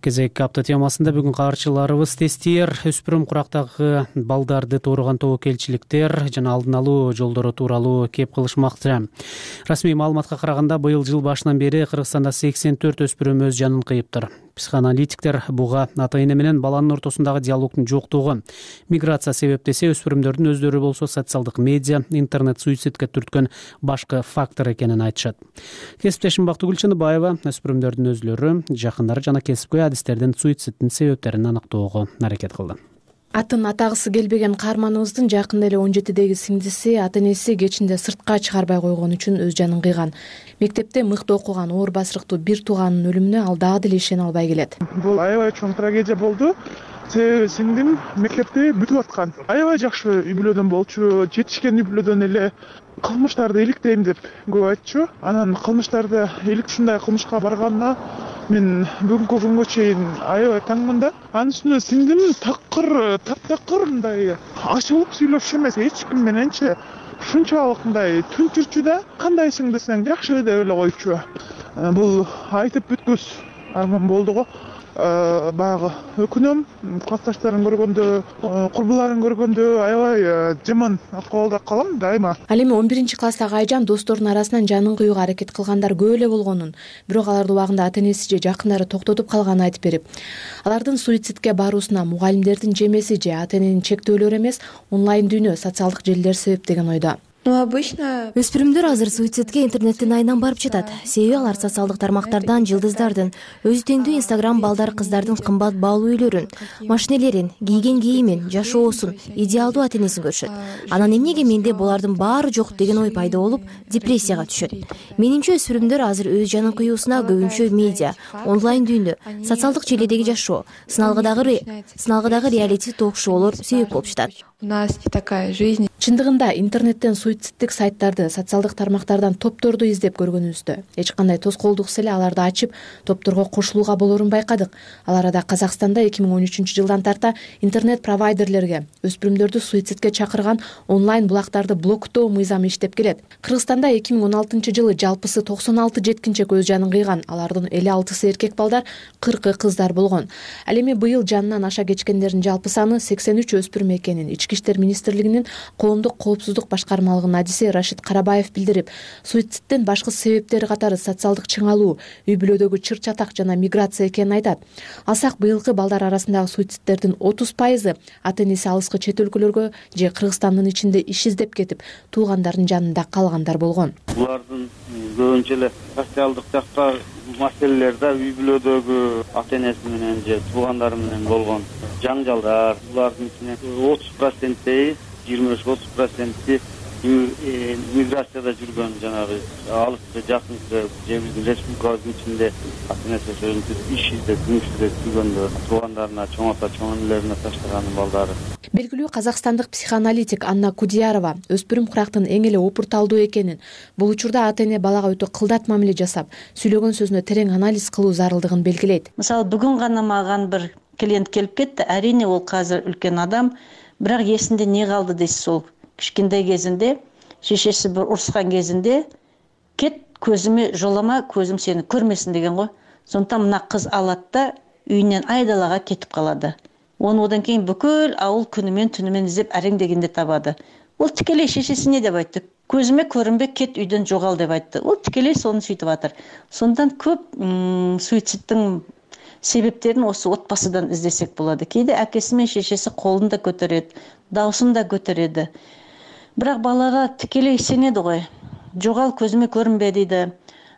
Кезекки апта темасында бүгүн кабарчыларыбыз тестиер, өспүрүм курактагы балдарды тууруган тобокелчиликтер жана алдын алуу жолдору тууралуу кеп кылышмакчы. Расмий маалыматка караганда, быйыл жыл башынан бери Кыргызстанда сексен төрт өспүрүм өз жанын кыйыптыр. Психоаналитиктер буга ата-эне менен баланын ортосундагы диалогдун жоктугу, миграция себептесе, өспүрүмдөрдүн өздөрү болсо социалдык медиа, интернет суицидке түрткөн башкы фактор экенин айтышат. Кесиптешим Бактыгүл Чыныбаева өспүрүмдөрдүн өзлөрү, жакындары жана кесипкөй адистердин суициддин себептерин аныктоого аракет кылды. атын атагысы келбеген каарманыбыздын жакында эле он жетидеги сиңдиси ата энеси кечинде сыртка чыгарбай койгон үчүн өз жанын кыйган. Мектепте мыкты окуган оор басырыктуу бир тууганынын өлүмүнө ал дагы деле ишене албай келет. Бул аябай чоң трагедия болду. Себеби сиңдим мектепте бүтүп аткан. Аябай жакшы үй бүлөдөн болчу, жетишкен үй бүлөдөн эле кылмыштарды иликтейм деп көп айтчу. Анан кылмыштарды илик ушундай кылмышка барганына мен бүгүнкү күнгө чейин аябай таңмын да. Анын үстүнө сиңдим такыр, таптакыр мындай ачылып сүйлөшчү эмес, эч ким мененчи ушунчалык мындай түнчүрчү да. Кандайсың десең жакшы деп эле койчу. Бул айтып бүткүс арман болду го. Баягы өкүнөм, классташтарын көргөндө, курбуларын көргөндө аябай жаман акыбалда калам дайыма. Ал эми он биринчи класстагы айжан досторунун арасынан жанын кыюуга аракет кылгандар көп эле болгонун, бирок аларды убагында ата энеси же жакындары токтотуп калганын айтып берип, алардын суицидке баруусуна мугалимдердин жемеси же ата эненин чектөөлөрү эмес, онлайн дүйнө, социалдык желилер себеп деген ойдо. Өспүрүмдөр азыр суицидке интернеттин айынан барып жатат. Себеби алар социалдык тармактардан жылдыздардын, өзү теңдүү инстаграм балдар кыздардын кымбат баалуу үйлөрүн, машинелерин, кийген кийимин, жашоосун, идеалдуу ата энесин көрүшөт. Анан эмнеге менде булардын баары жок деген ой пайда болуп, депрессияга түшөт. Менимче өспүрүмдөр азыр өз жанын кыюусуна көбүнчө медиа, онлайн дүйнө, социалдык желидеги жашоо, сыналгыдагы сыналгыдагы реалити ток-шоулор себеп болуп жатат. У нас не такая жизнь. Чындыгында интернеттен суициддик сайттарды, социалдык тармактардан топторду издеп көргөнүбүздө эч кандай тоскоолдуксуз эле аларды ачып, топторго кошулууга болорун байкадык. Ал арада Казакстанда эки миң он үчүнчү жылдан тарта интернет провайдерлерге өспүрүмдөрдү суицидке чакырган онлайн булактарды блоктоо мыйзамы иштеп келет. Кыргызстанда эки миң он алтынчы жылы жалпысы токсон алты жеткинчек өз жанын кыйган, алардын элүү алтысы эркек балдар, кыркы кыздар болгон. Ал эми быйыл жанынан аша кечкендердин жалпы саны сексен үч өспүрүм экенин Ички иштер министрлигинин коомдук коопсуздук башкармалыгынын адиси Рашид Карабаев билдирип, суициддин башкы себептери катары социалдык чыңалуу, үй бүлөдөгү чыр-чатак жана миграция экенин айтат. Алсак быйылкы балдар арасындагы суициддердин отуз пайызы ата энеси алыскы чет өлкөлөргө же Кыргызстандын ичинде иш издеп кетип, туугандардын жанында калгандар болгон. Булардын көбүнчө эле социалдык жакта маселелерде үй бүлөдөгү ата энеси менен же туугандары менен болгон жаңжалдар, булардын ичинен отуз проценти, жыйырма үч отуз проценти миграцияда жүргөн, жанагы алыскы жакынкы же биздин республикабыздын ичинде ата энеси ошентип иш издеп, жумуш издеп жүргөндө туугандарына, чоң ата, чоң энелерине таштаган балдары. Белгилүү казакстандык психоаналитик Анна Кудиярова өспүрүм курактын эң эле опурталдуу экенин, бул учурда ата эне балага өтө кылдат мамиле жасап, сүйлөгөн сөзүнө терең анализ кылуу зарылдыгын белгилейт. Мисалы, бүгүн гана маган бир клиент келип кетти. Арине ол азыр үлкен адам, бирок эсинде не калды дейсиз, ол кичкентай кезинде шешеси бир урушкан кезинде кет, көзүмө жолома, көзүм сени көрмөсүн деген го. Сондуктан мына кыз алат да үйүнөн айдалага кетип калады. Оны одан кийин бүкүл ауыл күнүмен түнүмен издеп ареңдегенде табады. Ол тикелей шешесине деп айтты. Көзүмө көрүнбө, кет үйдөн жогал деп айтты. Ол тикелей сону сүйтүп атыр. Сондан көп суициддин себептерин осы отбасыдан издесек болот. Кээде акеси менен шешеси колун да көтөрөт, даусын да көтөрөдү. Бирок балага тикелей сенеди го. Жогал, көзүмө көрүнбө дейди.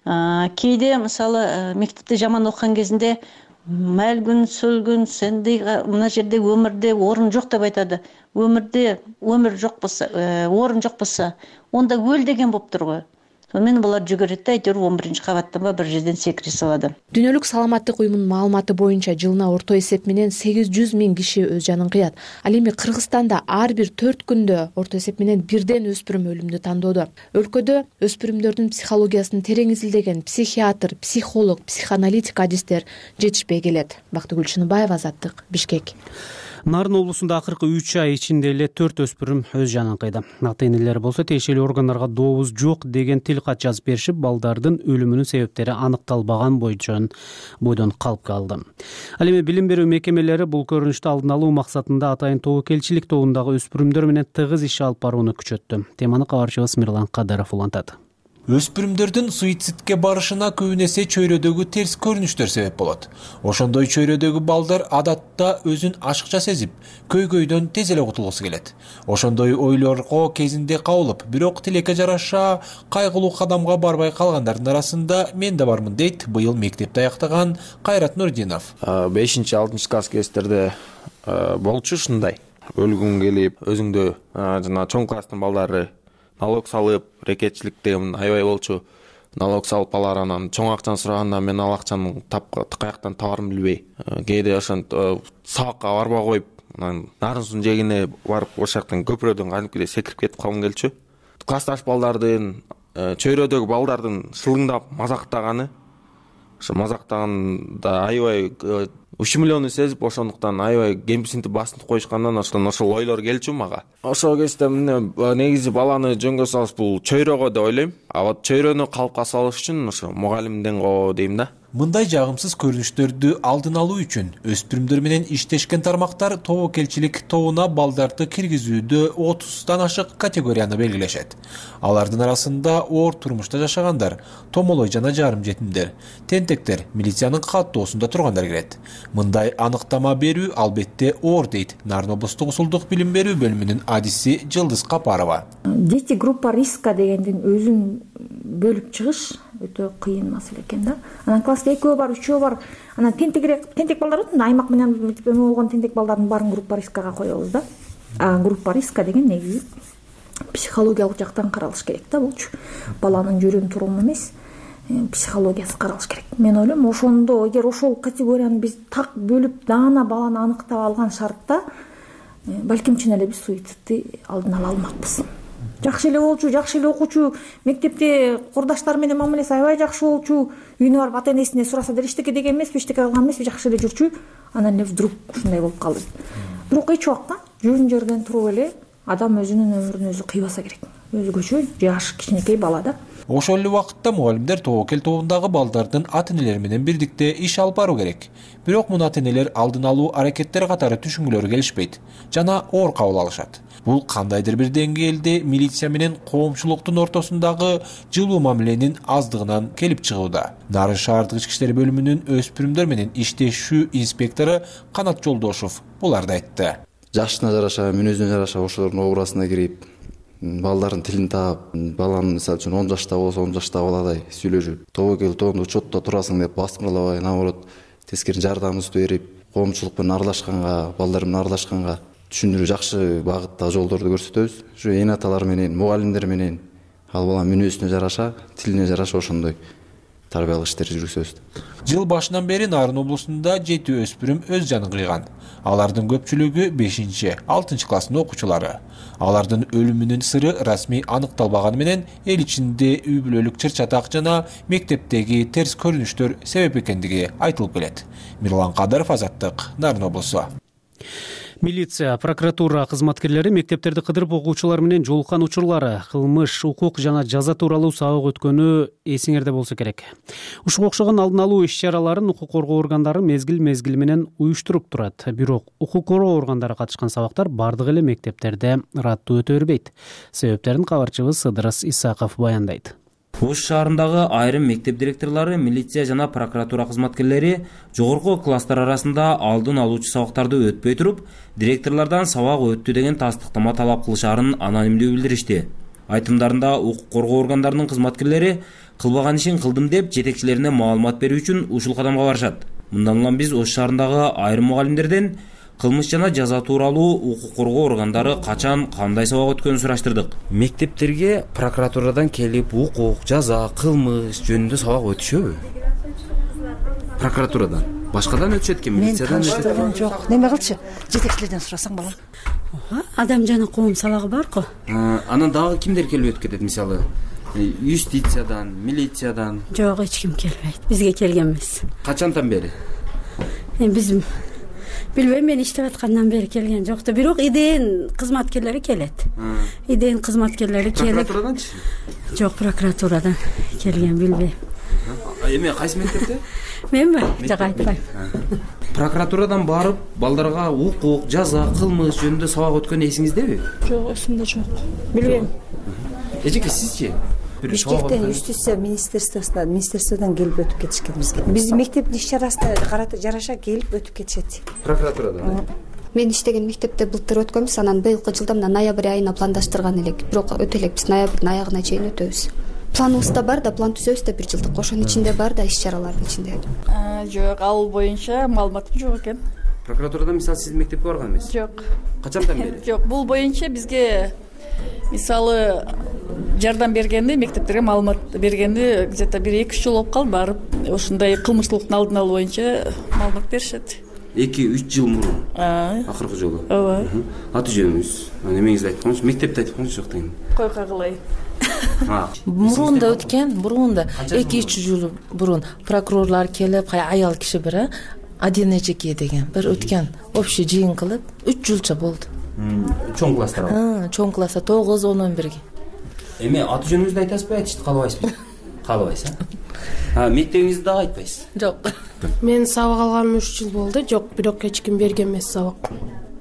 Кээде мисалы мектепте жаман окуган кезинде мэлгүн, сөлгүн, сендей мына жерде өмүрдө орун жок деп айтады. Өмүрдө өмүр жок болсо, орун жок болсо, онда өл деген болуптур го. Сонымен булар жүгөрөт да айтыр он биринчи кабаттан ба бир жерден секире салады. Дүйнөлүк саламаттык уюмунун маалыматы боюнча жылына орто эсеп менен сегиз жүз миң киши өз жанын кыят. Ал эми Кыргызстанда ар бир төрт күндө орто эсеп менен бирден өспүрүм өлүмдү тандоодо. Өлкөдө өспүрүмдөрдүн психологиясын терең изилдеген психиатр, психолог, психоаналитик адистер жетишпей келет. Бактыгүл Чыныбаева, Азаттык, Бишкек. Нарын облусунда акыркы үч ай ичинде эле төрт өспүрүм өз жанын кыйды. Ата энелери болсо тиешелүү органдарга добуз жок деген тил кат жазып беришип, балдардын өлүмүнүн себептери аныкталбаган бойдон бойдон калып калды. Ал эми билим берүү мекемелери бул көрүнүштү алдын алуу максатында атайын тобокелчилик тобундагы өспүрүмдөр менен тыгыз иш алып барууну күчөттү. Теманы кабарчыбыз Мирлан Кадыров улантат. Өспүрүмдөрдүн суицидке барышына көбүн эсе чөйрөдөгү терс көрүнүштөр себеп болот. Ошондой чөйрөдөгү балдар адатта өзүн ашыкча сезип, көйгөйдөн тез эле кутулгусу келет. Ошондой ойлорго кезинде кабылып, бирок тилекке жараша кайгылуу кадамга барбай калгандардын арасында мен да бармын дейт быйыл мектепти аяктаган Кайрат Нурдинов. бешинчи алтынчы класс кездерде болчу ушундай. Өлгүң келип, өзүңдө жана чоң класстын балдары налог салып, рекетчилик деген аябай болчу. Налог салып алар, анан чоң акчаны сураганда мен ал акчаны каяктан табарымды билбей, кээде ошентип сабакка барбай коюп, анан нарын суунун жээгине барып ошол жактан көпүрөдөн кадимкидей секирип кетип калгым келчү. Классташ балдардын, чөйрөдөгү балдардын шылыңдап мазактаганы, ошо мазактаганда аябай ушмулууну сезип, ошондуктан аябай кемсинтип басынтып коюшкандан ошон ошол ойлор келчү мага. Ошол кезде эмне негизи баланы жөнгө салыш бул чөйрөгө деп ойлойм. А вот чөйрөнү калыпка салыш үчүн ошо мугалимден го дейм да. Мындай жагымсыз көрүнүштөрдү алдын алуу үчүн өспүрүмдөр менен иштешкен тармактар тобокелчилик тобуна балдарды киргизүүдө отуздан ашык категорияны белгилешет. Алардын арасында оор турмушта жашагандар, томолой жана жарым жетимдер, тентектер, милициянын каттоосунда тургандар кирет. Мындай аныктама берүү албетте оор дейт Нарын облустук усулдук билим берүү бөлүмүнүн адиси Жылдыз Капарова. Дети группа риска дегендин өзүн бөлүп чыгыш өтө кыйын маселе экен да. Анан класста экөө бар, үчөө бар. Анан тентек тентек балдардын аймак менен эме болгон тентек балдардын баарын группа рискага коебуз да. А группа риска деген негизи психологиялык жактан каралыш керек да болчу. Баланын жүрүм туруму эмес, психологиясы каралыш керек. Мен ойлойм, ошондо эгер ошол категорияны биз так бөлүп даана баланы аныктап алган шартта, балким чын эле биз суицидти алдын ала алмакпыз. Жакшы эле болчу, жакшы эле окуучу, мектепте курдаштары менен мамилеси аябай жакшы болчу, үйүнө барып ата энесине сураса да эчтеке деген эмеспи, эчтеке кылган эмеспи, жакшы эле жүрчү. Анан эле вдруг ушундай болуп калды. Бирок эч убакта жүрүн жерден туруп эле адам өзүнүн өмүрүн өзү кыйбаса керек. Өзгөчө жаш кичинекей бала да. Ошол эле убакытта мугалимдер тобокел тобундагы балдардын ата-энелери менен бирдикте иш алып баруу керек. Бирок муну ата-энелер алдын алуу аракеттери катары түшүнгүлөрү келишпейт жана оор кабыл алышат. Бул кандайдыр бир деңгээлде милиция менен коомчулуктун ортосундагы жылуу мамиленин аздыгынан келип чыгууда. Нарын шаардык ички иштер бөлүмүнүн өспүрүмдөр менен иштешүү инспектору Канат Жолдошов буларды айтты. Жашына жараша, мүнөзүнө жараша ошолордун образына кирип, балдардын тилин таап, баланы мисалы үчүн он жашта болсо он жаштагы баладай сүйлөшүп, тобокел тобунда учетто турасың деп бастырмалабай, наоборот, тескери жардамыбызды берип, коомчулук менен аралашканга, балдар менен аралашканга түшүндүрүү жакшы багытта жолдорду көрсөтөбүз. Ушу эне аталар менен, мугалимдер менен ал баланын мүнөзүнө жараша, тилине жараша ошондой тарбиялык иштерди жүргүзөбүз. Жыл башынан бери Нарын облусунда жети өспүрүм өз жанын кыйган. Алардын көпчүлүгү бешинчи, алтынчы класстын окуучулары. Алардын өлүмүнүн сыры расмий аныкталбаганы менен эл ичинде үй бүлөлүк чыр-чатак жана мектептеги терс көрүнүштөр себеп экендиги айтылып келет. Мирлан Кадыров, Азаттык, Нарын облусу. Милиция, прокуратура кызматкерлери мектептерди кыдырып окуучулар менен жолуккан учурлары, кылмыш, укук жана жаза тууралуу сабак өткөнү эсиңерде болсо керек. Ушуга окшогон алдын алуу иш-чараларын укук коргоо органдары мезгил-мезгили менен уюштуруп турат. Бирок укук коргоо органдары катышкан сабактар бардык эле мектептерде ыраттуу өтө бербейт. Себептерин кабарчыбыз Ыдырыс Исаков баяндайт. Ош шаарындагы айрым мектеп директорлору, милиция жана прокуратура кызматкерлери жогорку класстар арасында алдын алуучу сабактарды өтпөй туруп, директорлордон сабак өттү деген тастыктама талап кылышаарын анонимдүү билдиришти. Айтымдарында укук коргоо органдарынын кызматкерлери кылбаган ишин кылдым деп жетекчилерине маалымат берүү үчүн ушул кадамга барышат. Мындан улам биз Ош шаарындагы айрым мугалимдерден кылмыш жана жаза тууралуу укук коргоо органдары качан, кандай сабак өткөнүн сураштырдык. Мектептерге прокуратурадан келип укук, жаза, кылмыш жөнүндө сабак өтүшөбү? Прокуратурадан. Башкадан өтүшөт экен, милициядан өтүшөт. Мен таныштыргым жок. Неме кылчы? Жетекчилерден сурасаң балам. Адам жана коом сабагы барго. Анан дагы кимдер келип өтүп кетет, мисалы? Юстициядан, милициядан. Жок, эч ким келбейт. Бизге келген эмес. Качантан бери? Биз билбейм, мен иштеп аткандан бери келген жокто. Бирок идеен кызматкерлери келет. Идеен кызматкерлери келип. Прокуратураданчы? Жок, прокуратурадан келген, билбейм. Эме кайсы мектепте? Менби? Жок, айтпайм. Прокуратурадан барып, балдарга укук, жаза, кылмыш жөнүндө сабак өткөн эсиңиздеби? Жок, эсимде жок. Билбейм. Эжеке, сизчи? Бишкектен юстиция министерствосунан министерстводон келип өтүп кетишкен бизге. Биздин мектептин иш чарасына карата жараша келип өтүп кетишет. Прокуратурадан. Мен иштеген мектепте былтыр өткөнбүз, анан быйылкы жылда мына ноябрь айына пландаштырган элек. Бирок өтө элекпиз, ноябрдын аягына чейин өтөбүз. Планыбызда бар да, план түзөбүз да бир жылдык. Ошонун ичинде бар да иш чаралардын ичинде. Жок, ал боюнча маалыматым жок экен. Прокуратурадан мисалы сиздин мектепке барган эмес? Жок. Качандан бери? Жок, бул боюнча бизге мисалы жардам бергенди, мектептерге маалымат бергенди где-то бир эки үч жыл болуп калды, барып ушундай кылмыштуулуктун алдын алуу боюнча маалымат беришет. эки үч жыл мурун акыркы жолу. Ооба. Аты жөнүңүз, немеңизди айтып коюңузчу, мектепти айтып коюңузчу жок деген. Койка кылай. Мурун да өткөн, мурун да эки үч жыл мурун прокурорлор келип, аял киши бир Адина Жеке деген бир өткөн общий жыйын кылып үч жылча болду. Чоң класстар. Ha, чоң класста тогуз он он бирге. Эми аты жөнүңүздү айтасызбы, айтышты каалабайсызбы? Каалабайсыз, а? Мектебиңизди дагы айтпайсыз? Жок. Мен сабак алганыма үч жыл болду. Жок, бирок эч ким берген эмес сабак.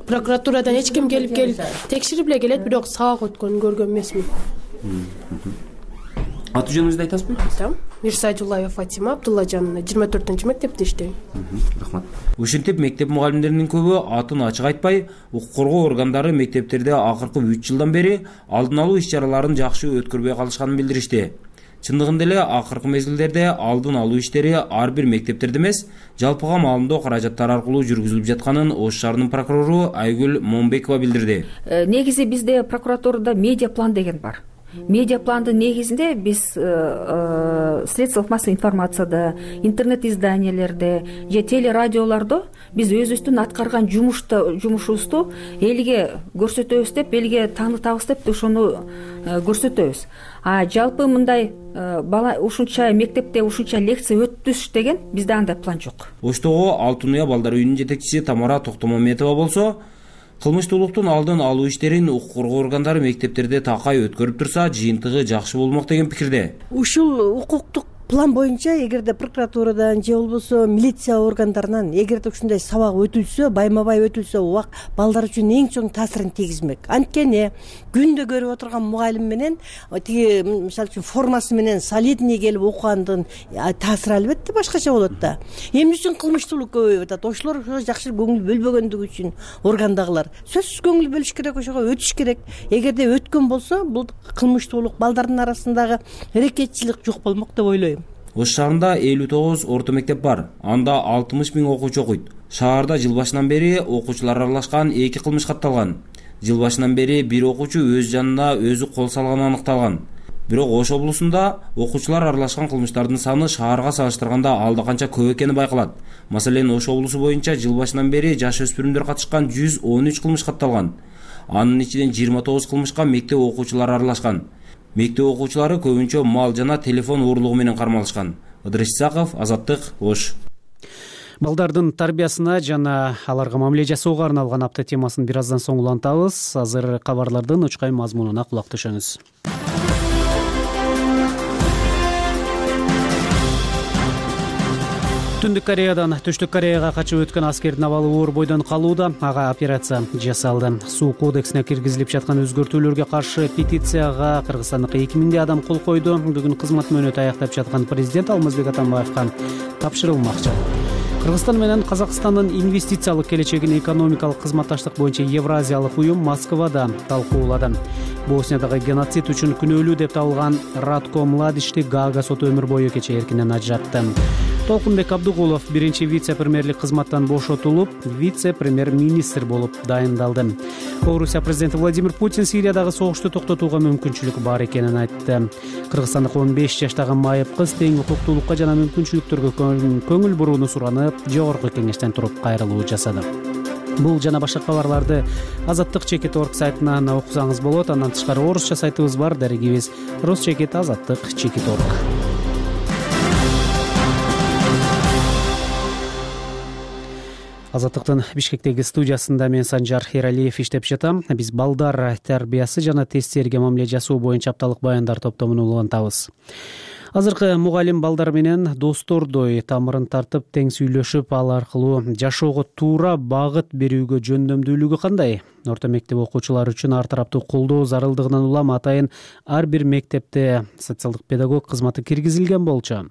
Прокуратурадан эч ким келип келип текширип эле келет, бирок сабак өткөнүн көргөн эмесмин. Аты жөнүңүздү айтасызбы? Айтам. Мирсайдуллаева Фатима Абдуллажановна, жыйырма төртүнчү мектепте иштейм. Рахмат. Ушинтип мектеп мугалимдеринин көбү атын ачык айтпай, укук коргоо органдары мектептерде акыркы үч жылдан бери алдын алуу иш чараларын жакшы өткөрбөй калышканын билдиришти. Чындыгында эле акыркы мезгилдерде алдын алуу иштери ар бир мектептерде эмес, жалпыга маалымдоо каражаттары аркылуу жүргүзүлүп жатканын Ош шаарынын прокурору Айгүл Момбекова билдирди. Негизи бизде прокуратурада медиа план деген бар. Медиа пландын негизинде биз средствах массовой информацияда, интернет изданиялерде же телерадиолордо биз өзүбүздүн аткарган жумушта жумушубузду элге көрсөтөбүз деп, элге таанытабыз деп ошону көрсөтөбүз. А жалпы мындай бала ушунча мектепте ушунча лекция өтүш деген бизде андай план жок. Оштогу Алтын Уя балдар үйүнүн жетекчиси Тамара Токтомометова болсо, кылмыштуулуктун алдын алуу иштерин укук коргоо органдары мектептерде такай өткөрүп турса, жыйынтыгы жакшы болмок деген пикирде. Ушул укуктук план боюнча эгерде прокуратурадан же болбосо милиция органдарынан эгерде ушундай сабак өтүлсө, байма-бай өтүлсө, убак балдар үчүн эң чоң таасирин тийгизмек. Анткени күндө көрүп отурган мугалим менен тиги мисалы үчүн формасы менен солидный келип окугандын таасири албетте башкача болот да. Эмне үчүн кылмыштуулук көбөйүп атат? Ошолор жакшы көңүл бөлбөгөндүгү үчүн органдагылар сөзсүз көңүл бөлүш керек, ошого өтүш керек. Эгерде өткөн болсо, бул кылмыштуулук балдардын арасындагы аракетчилик жок болмок деп ойлойм. Ош шаарында элүү тогуз орто мектеп бар. Анда алтымыш миң окуучу окуйт. Шаарда жыл башынан бери окуучулар аралашкан эки кылмыш катталган. Жыл башынан бери бир окуучу өз жанына өзү кол салганы аныкталган. Бирок Ош облусунда окуучулар аралашкан кылмыштардын саны шаарга салыштырганда алда канча көп экени байкалат. Маселен, Ош облусу боюнча жыл башынан бери жаш өспүрүмдөр катышкан жүз он үч кылмыш катталган. Анын ичинен жыйырма тогуз кылмышка мектеп окуучулары аралашкан. Мектеп окуучулары көбүнчө мал жана телефон уурлугу менен кармалышкан. Ыдырыс Исаков, Азаттык, Ош. Балдардын тарбиясына жана аларга мамиле жасоого арналган апта темасын бир аздан соң улантабыз. Азыр кабарлардын учкай мазмунуна кулак түшөңүз. Түндүк Кореядан Түштүк Кореяга качып өткөн аскердин абалы оор бойдон калууда. Ага операция жасалды. Суу кодексине киргизилип жаткан өзгөртүүлөргө каршы петицияга Кыргызстандык эки миңдей адам кол койду. Бүгүн кызмат мөөнөтү аяктап жаткан президент Алмазбек Атамбаевга тапшырылмакчы. Кыргызстан менен Казакстандын инвестициялык келечегин экономикалык кызматташтык боюнча Евразиялык уюм Москвада талкуулады. Босниядағы геноцид үчүн күнөөлүү деп табылган Радко Младичти Гаага соту өмүр бою кечээ эркинен ажыратты. Толкунбек Абдыгулов биринчи вице-премьерлик кызматтан бошотулуп, вице-премьер-министр болуп дайындалды. Орусия президенти Владимир Путин Сириядагы согушту токтотууга мүмкүнчүлүк бар экенин айтты. Кыргызстандык он беш жаштагы майып кыз тең укуктуулукка жана мүмкүнчүлүктөргө көңүл бурууну суранып, жогорку кеңештен туруп кайрылуу жасады. Бул жана башка кабарларды азаттык чекит точка орг сайтынан окусаңыз болот. Андан тышкары орусча сайтыбыз бар, дарегибиз русчекит азаттык чекит точка орг. Азаттыктын Бишкектеги студиясында мен Санжар Эралиев иштеп жатам. Биз балдар тарбиясы жана тесттерге мамиле жасоо боюнча апталык баяндар топтомун улантабыз. Азыркы мугалим балдар менен достордой тамырын тартып тең сүйлөшүп, ал аркылуу жашоого туура багыт берүүгө жөндөмдүүлүгү кандай? Орто мектеп окуучулары үчүн ар тараптуу колдоо зарылдыгынан улам атайын ар бир мектепте социалдык педагог кызматы киргизилген болчу.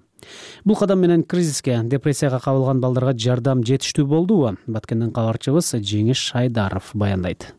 Бул кадам менен кризиске, депрессияга кабылган балдарга жардам жетиштүү болдубу? Баткенден кабарчыбыз Жеңиш Айдаров баяндайт.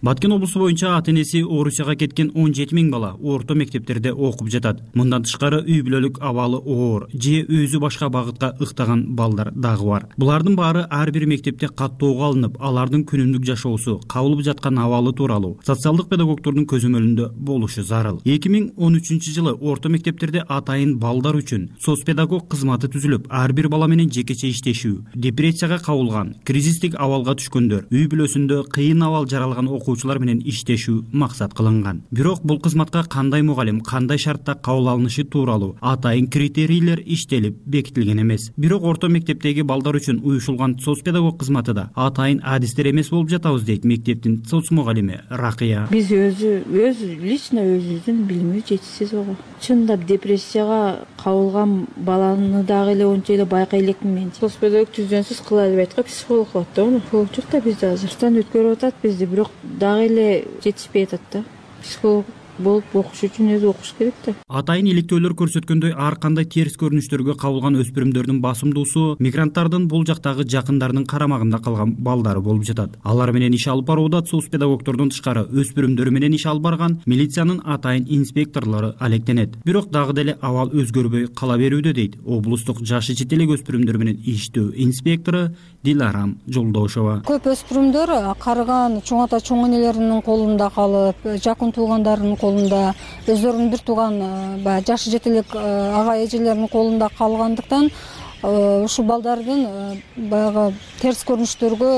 Баткен облусу боюнча ата-энеси Орусияга кеткен он жети миң бала орто мектептерде окуп жатат. Мындан тышкары үй бүлөлүк абалы оор же өзү башка багытка ыктаган балдар дагы бар. Булардын баары ар бир мектепте каттоого алынып, алардын күнүмдүк жашоосу, кабылып жаткан абалы тууралуу социалдык педагогдордун көзөмөлүндө болушу зарыл. эки миң он үчүнчү жылы орто мектептерде атайын балдар үчүн соцпедагог кызматы түзүлүп, ар бир бала менен жекече иштешүү, депрессияга кабылган, кризистик абалга түшкөндөр, үй бүлөсүндө кыйын абал жаралган окуучулар менен иштешүү максат кылынган. Бирок бул кызматка кандай мугалим, кандай шартта кабыл алынышы тууралуу атайын критерийлер иштелип бекитилген эмес. Бирок орто мектептеги балдар үчүн уюшулган соцпедагог кызматы да атайын адистер эмес болуп жатабыз дейт мектептин соц мугалими Ракыя. Биз өзү өз лично өзүбүздүн билими жетишсиз ого. Чындап депрессияга кабылган баланы дагы эле ончо эле байкай элекмин мен. Соцпедагог түздөнсүз кыла албайт го, психолог болот да ону. Психолог жок да бизде азыр. Стан өткөрүп атат бизди, бирок дагы эле жетишпей атат да. Психолог болуп окуш үчүн өзү окуш керек да. Атайын иликтөөлөр көрсөткөндөй, ар кандай терс көрүнүштөргө кабылган өспүрүмдөрдүн басымдуусу мигранттардын бул жактагы жакындарынын карамагында калган балдары болуп жатат. Алар менен иш алып барууда соцпедагогдордун тышкары өспүрүмдөр менен иш алып барган милициянын атайын инспекторлору алектенет. Бирок дагы деле абал өзгөрбөй кала берүүдө дейт облустук жашы чет элек өспүрүмдөр менен иштөө инспектору Диларам Жолдошова. Көп өспүрүмдөр карыган чоң ата чоң энелеринин колунда калып, жакын туугандарынын колунда, өздөрүнүн бир тууган баягы жашы жет элек ага эжелеринин колунда калгандыктан ушул балдардын баягы терс көрүнүштөргө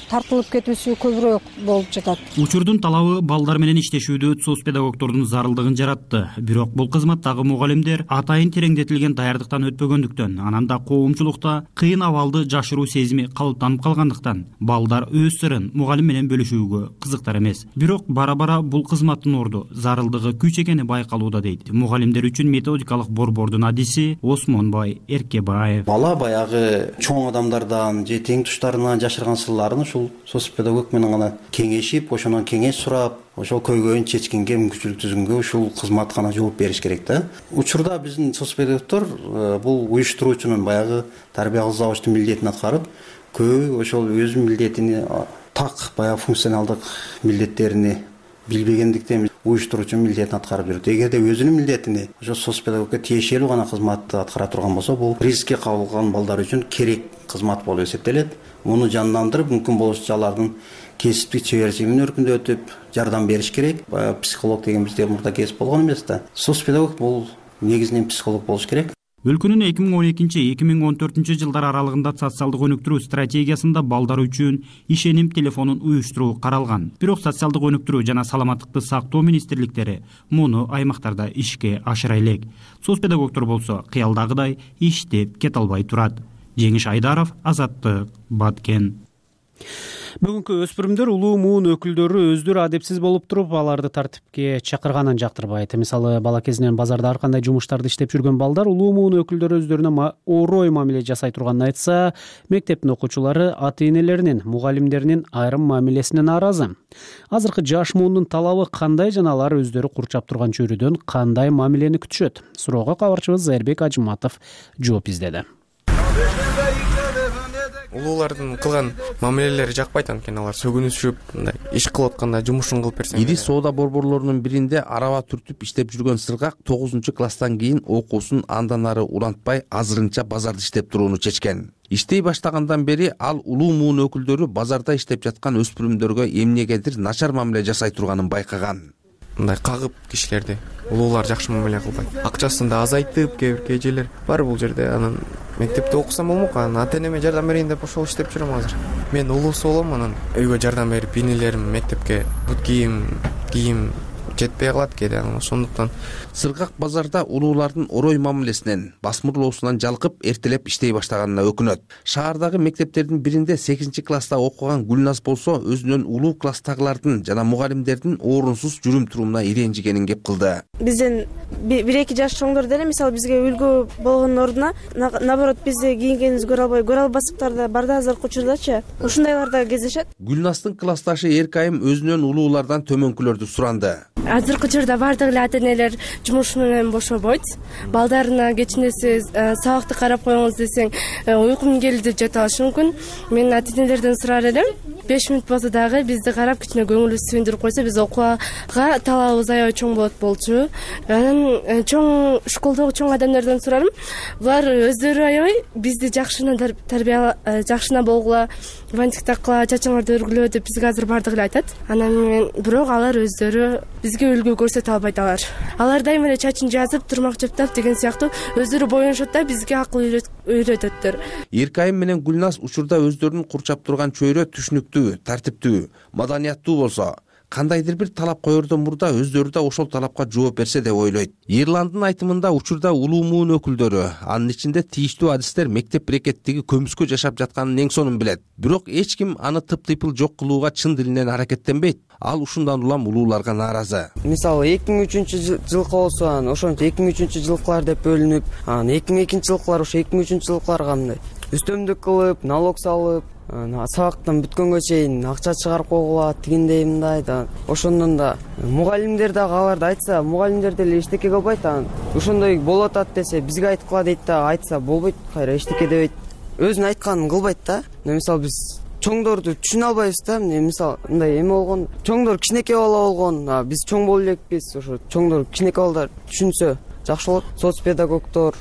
тартылып кетүүсү көбүрөөк болуп жатат. Учурдун талабы балдар менен иштешүүдө соцпедагогдордун зарылдыгын жаратты. Бирок бул кызматтагы мугалимдер атайын тереңдетилген даярдыктан өтпөгөндүктөн, анан да коомчулукта кыйын абалды жашыруу сезими калыптанып калгандыктан балдар өз сырын мугалим менен бөлүшүүгө кызыктар эмес. Бирок бара-бара бул кызматтын орду, зарылдыгы күч экени байкалууда дейт мугалимдер үчүн методикалык борбордун адиси Осмонбай Эркебаев. Бала баягы чоң адамдардан же тең туштарынан жашырган сырларын ушул соцпедагог менен гана кеңешип, ошондон кеңеш сурап, ошол көйгөйүн чечкенге мүмкүнчүлүк түзгөнгө ушул кызмат гана жооп бериш керек да. Учурда биздин соцпедагогдор бул уюштуруучунун баягы тарбия кылзабычтын милдетин аткарып, көбү ошол өзүнүн милдетини так баягы функционалдык милдеттерини билбегендиктен уюштуруучунун милдетин аткарып жүрөт. Эгерде өзүнүн милдетини ошо соцпедагогко тиешелүү гана кызматты аткара турган болсо, бул рискке кабылган балдар үчүн керек кызмат болуп эсептелет. Муну жандандырып, мүмкүн болушунча алардын кесиптик чеберчилигин өркүндөтүп, жардам бериш керек. Психолог деген бизде мурда кесип болгон эмес да. Соцпедагог бул негизинен психолог болуш керек. Өлкөнүн эки миң он экинчи — эки миң он төртүнчү жылдар аралыгында социалдык өнүктүрүү стратегиясында балдар үчүн ишеним телефонун уюштуруу каралган. Бирок социалдык өнүктүрүү жана саламаттыкты сактоо министрликтери муну аймактарда ишке ашыра элек. Соцпедагогдор болсо кыялдагыдай иштеп кете албай турат. Жеңиш Айдаров, Азаттык, Баткен. Бүгүнкү өспүрүмдөр улуу муун өкүлдөрү өздөрү адепсиз болуп туруп, аларды тартипке чакырганын жактырбайт. Мисалы, бала кезинен базарда ар кандай жумуштарды иштеп жүргөн балдар улуу муун өкүлдөрү өздөрүнө орой мамиле жасай турганын айтса, мектептин окуучулары ата-энелеринин, мугалимдеринин айрым мамилесине нааразы. Азыркы жаш муундун талабы кандай жана алар өздөрү курчап турган чөйрөдөн кандай мамилени күтүшөт? Суроого кабарчыбыз Зайырбек Ажыматов жооп издеди. Улуулардын кылган мамилелери жакпайт, анткени алар сөгүнүшүп, мындай иш кылып атканда жумушун кылып берсең. Ири соода борборлорунун биринде араба түртүп иштеп жүргөн сыргак тогузунчу класстан кийин окуусун андан ары улантпай азырынча базарда иштеп турууну чечкен. Иштей баштагандан бери ал улуу муун өкүлдөрү базарда иштеп жаткан өспүрүмдөргө эмнегедир начар мамиле жасай турганын байкаган. Мындай кагып кишилерди улуулар жакшы мамиле кылбайт. Акчасын да азайтып, кээ бир эжелер бар бул жерде. Анан мектепте окусам болмок, анан ата-энеме жардам берейин деп ошол иштеп жүрөм азыр. Мен улуусу болом, анан үйгө жардам берип, инилерим мектепке бут кийим, кийим жетпей калат кээде, ошондуктан Сыргак базарда улуулардын орой мамилесинен, басмырлоосунан жалкып эртелеп иштей баштаганына өкүнөт. Шаардагы мектептердин биринде сегизинчи класста окуган Гүлназ болсо өзүнөн улуу класстагылардын жана мугалимдердин орунсуз жүрүм турумуна иренжигенин кеп кылды. Бизден бир эки жаш чоңдор деле мисалы бизге үлгү болгондун ордуна наоборот бизди кийингенибизди көрө албай, көрө албастыктар да бар да азыркы учурдачы. Ушундайлар да кездешет. Гүлназдын классташы Эркайым өзүнөн улуулардан төмөнкүлөрдү суранды. Азыркы учурда бардык эле ата-энелер жумуш менен бошобойт. Балдарына кечинеси сабакты карап коюңуз десең, уйкум келди деп жата алышы мүмкүн. Мен ата-энелерден сурар элем, беш мүнөт болсо дагы бизди карап кичине көңүлүбүздү сүндүрүп койсо, биз окууга талабыбыз аябай чоң болот болчу. Анан чоң школдогу чоң адамдардан сурарым. Булар өздөрү аябай бизди жакшына тарбия, жакшына болгула, бантик таккыла, чачыңарды өргүлө деп бизге азыр бардык эле айтат. Анан мен бирок алар өздөрү бизге үлгү көрсөтө албайт алар. Алар дайыма эле чачын жазып, турмак жаптап деген сыяктуу өздөрү боюнушат да бизге акыл үйрөтөттөр. Эркайым менен Гүлназ учурда өздөрүн курчап турган чөйрө түшүнүктүү, тартиптүү, маданияттуу болсо, кандайдыр бир талап коердон мурда өздөрү да ошол талапка жооп берсе деп ойлойт. Ирландын айтымында учурда улуу муун өкүлдөрү, анын ичинде тийиштүү адистер мектеп брекеттиги көмүскө жашап жатканын эң сонун билет. Бирок эч ким аны тыптыйпыл жок кылууга чын дилинен аракеттенбейт. Ал ушундан улам улууларга нааразы. Мисалы эки миң үчүнчү жылкы болсо, анан ошончо эки миң үчүнчү жылкылар деп бөлүнүп, анан эки миң экинчи жылкылар ошо эки миң үчүнчү жылкыларга мындай үстөмдүк кылып, налог салып, сабактан бүткөнгө чейин акча чыгарып койгула, тигиндей мындай да. Ошондон да мугалимдер дагы аларды айтса, мугалимдер деле эчтеке кылбайт. Анан ошондой болуп атат десе, бизге айткыла дейт да, айтса болбойт, кайра эчтеке дебейт. Өзүнүн айтканын кылбайт да. Мисалы биз чоңдорду түшүнө албайбыз да. Мисалы мындай эме болгон, чоңдор кичинекей бала болгон, биз чоң боло элекпиз. Ошо чоңдор кичинекей балдар түшүнсө жакшы болот. Соц педагогдор,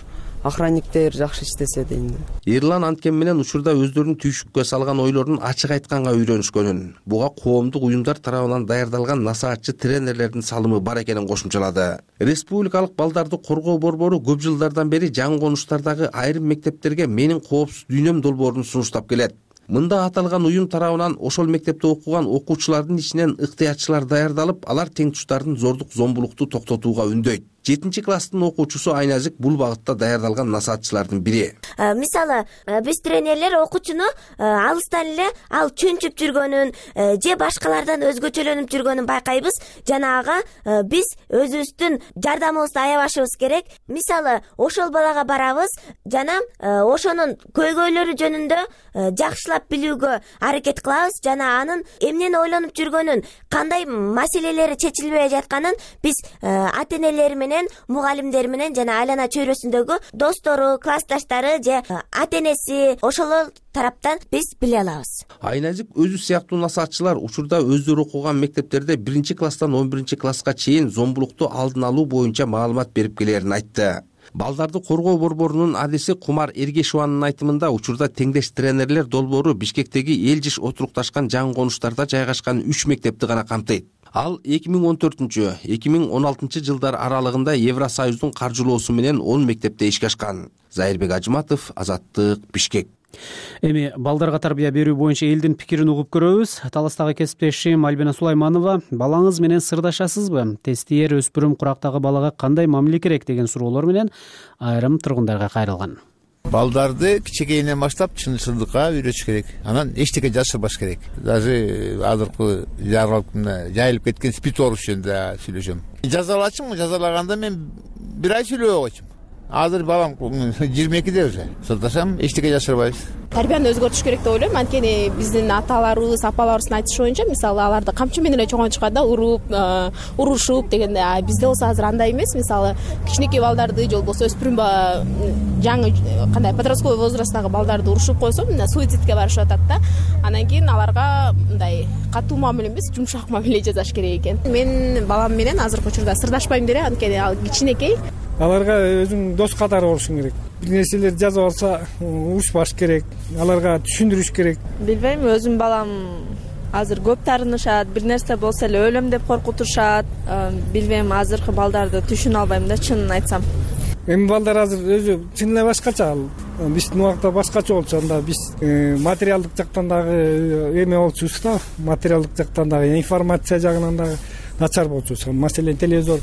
охранниктер жакшы иштесе дейм да. Эрлан анткени менен учурда өздөрүнүн түйшүккө салган ойлорун ачык айтканга үйрөнүшкөнүн, буга коомдук уюмдар тарабынан даярдалган насаатчы тренерлердин салымы бар экенин кошумчалады. Республикалык балдарды коргоо борбору көп жылдардан бери жаңы конуштардагы айрым мектептерге менин коопсуз дүйнөм долбоорун сунуштап келет. Мында аталган уюм тарабынан ошол мектепте окуган окуучулардын ичинен ыктыярчылар даярдалып, алар теңтуштардын зордук зомбулукту токтотууга үндөйт. жетинчи класстын окуучусу Айназик бул багытта даярдалган насаатчылардын бири. Мисалы, биз тренерлер окуучуну алыстан эле ал чөнчүп жүргөнүн же башкалардан өзгөчөлөнүп жүргөнүн байкайбыз. Жанагы биз өзүбүздүн жардамыбызды аябашыбыз керек. Мисалы, ошол балага барабыз, жана ошонун көйгөйлөрү жөнүндө жакшылап билүүгө аракет кылабыз. Жана анын эмнени ойлонуп жүргөнүн, кандай маселелери чечилбей жатканын биз ата-энелери менен, мугалимдер менен жана айлана чөйрөсүндөгү достору, классташтары же ата-энеси ошол тараптан биз биле алабыз. Айназик өзү сыяктуу насаатчылар учурда өздөрү окуган мектептерде биринчи класстан он биринчи класска чейин зомбулукту алдын алуу боюнча маалымат берип келерин айтты. Балдарды коргоо борборунун адиси Кумар Эргешованын айтымында учурда теңдеш тренерлер долбоору Бишкектеги эл жиш отурукташкан жаңы конуштарда жайгашкан үч мектепти гана камтыйт. Ал эки миң он төртүнчү — эки миң он алтынчы жылдар аралыгында Евросоюздун каржылоосу менен он мектепте ишке ашкан. Зайырбек Ажыматов, Азаттык, Бишкек. Эми балдарга тарбия берүү боюнча элдин пикирин угуп көрөбүз. Таластагы кесиптешим Альбина Сулайманова, балаңыз менен сырдашасызбы? Тестиер өспүрүм курактагы балага кандай мамиле керек деген суроолор менен айрым тургундарга кайрылган. Балдарды кичинекейинен баштап чын-чындыкка үйрөтүш керек. Анан эчтеке жашырбаш керек. Даже азыркы жаралып жайылып кеткен спид оруш жөнүндө сүйлөшөм. Жазалачымбы? Жазалаганда мен бир ай сүйлөбөй койчумун. Азыр балам жыйырма экиде уже. Сырдашам, эчтеке жашырбайбыз. Тарбияны өзгөртүш керек деп ойлойм. Анткени биздин аталарыбыз, апаларыбыздын айтышы боюнча, мисалы аларды камчы менен эле чоңойтушканда уруп, урушуп дегенде, бизде болсо азыр андай эмес. Мисалы, кичинекей балдарды же болбосо өспүрүм жаңы кандай подростковый возрасттагы балдарды урушуп койсо, мына суицидке барышып атат да. Анан кийин аларга мындай катуу мамиле эмес, жумшак мамиле жасаш керек экен. Мен балам менен азыркы учурда сырдашпайм деле, анткени ал кичинекей. Аларга өзүң дос катары болушуң керек. Бир нерселерди жазып алса, урушпаш керек. Аларга түшүндүрүш керек. Билбейм, өзүм балам азыр көп таарынышат, бир нерсе болсо эле өлөм деп коркутушат. Билбейм, азыркы балдарды түшүнө албайм да, чынын айтсам. Эми балдар азыр өзү чын эле башкача. Биздин убакта башкача болчу. Анда биз материалдык жактан дагы эме болчубуз да, материалдык жактан дагы, информация жагынан дагы начар болчу. Маселен телевизор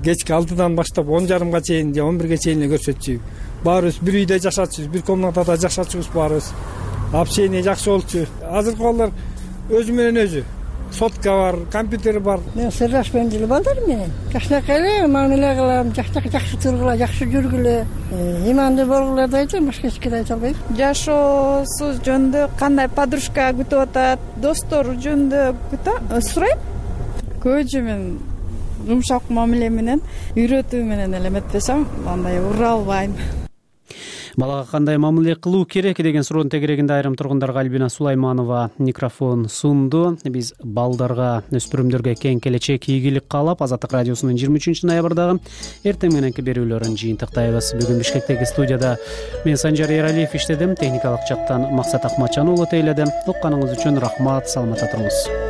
кечки алтыдан баштап он жарымга чейин же он бирге чейин эле көрсөтчү. Баарыбыз бир үйдө жашачубуз, бир комнатада жашачубуз баарыбыз. Общение жакшы болчу. Азыркы балдар өзү менен өзү. Сотка бар, компьютер бар. Мен сырлашпайм деле балдар менен. Жакшынакай эле мамиле кылам, жакшынакай жакшы тургула, жакшы жүргүлө, имандуу болгула да айтам, башка эч нерсе айта албайм. Жашоосу жөнүндө кандай подружка күтүп атат, достору жөнүндө күтөм, сурайм. Көбүнчө мен жумшак мамиле менен, үйрөтүү менен эле эметпесем, андай ура албайм. Балага кандай мамиле кылуу керек деген суроонун тегерегинде айрым тургундарга Альбина Сулайманова микрофон сунду. Биз балдарга, өспүрүмдөргө кең келечек, ийгилик каалап, Азаттык радиосунун жыйырма үчүнчү ноябрдагы эртең мененки берүүлөрүн жыйынтыктайбыз. Бүгүн Бишкектеги студияда мен Санжар Эралиев иштедим, техникалык жактан Максат Акматжан уулу тейледи. Укканыңыз үчүн рахмат, саламатта туруңуз.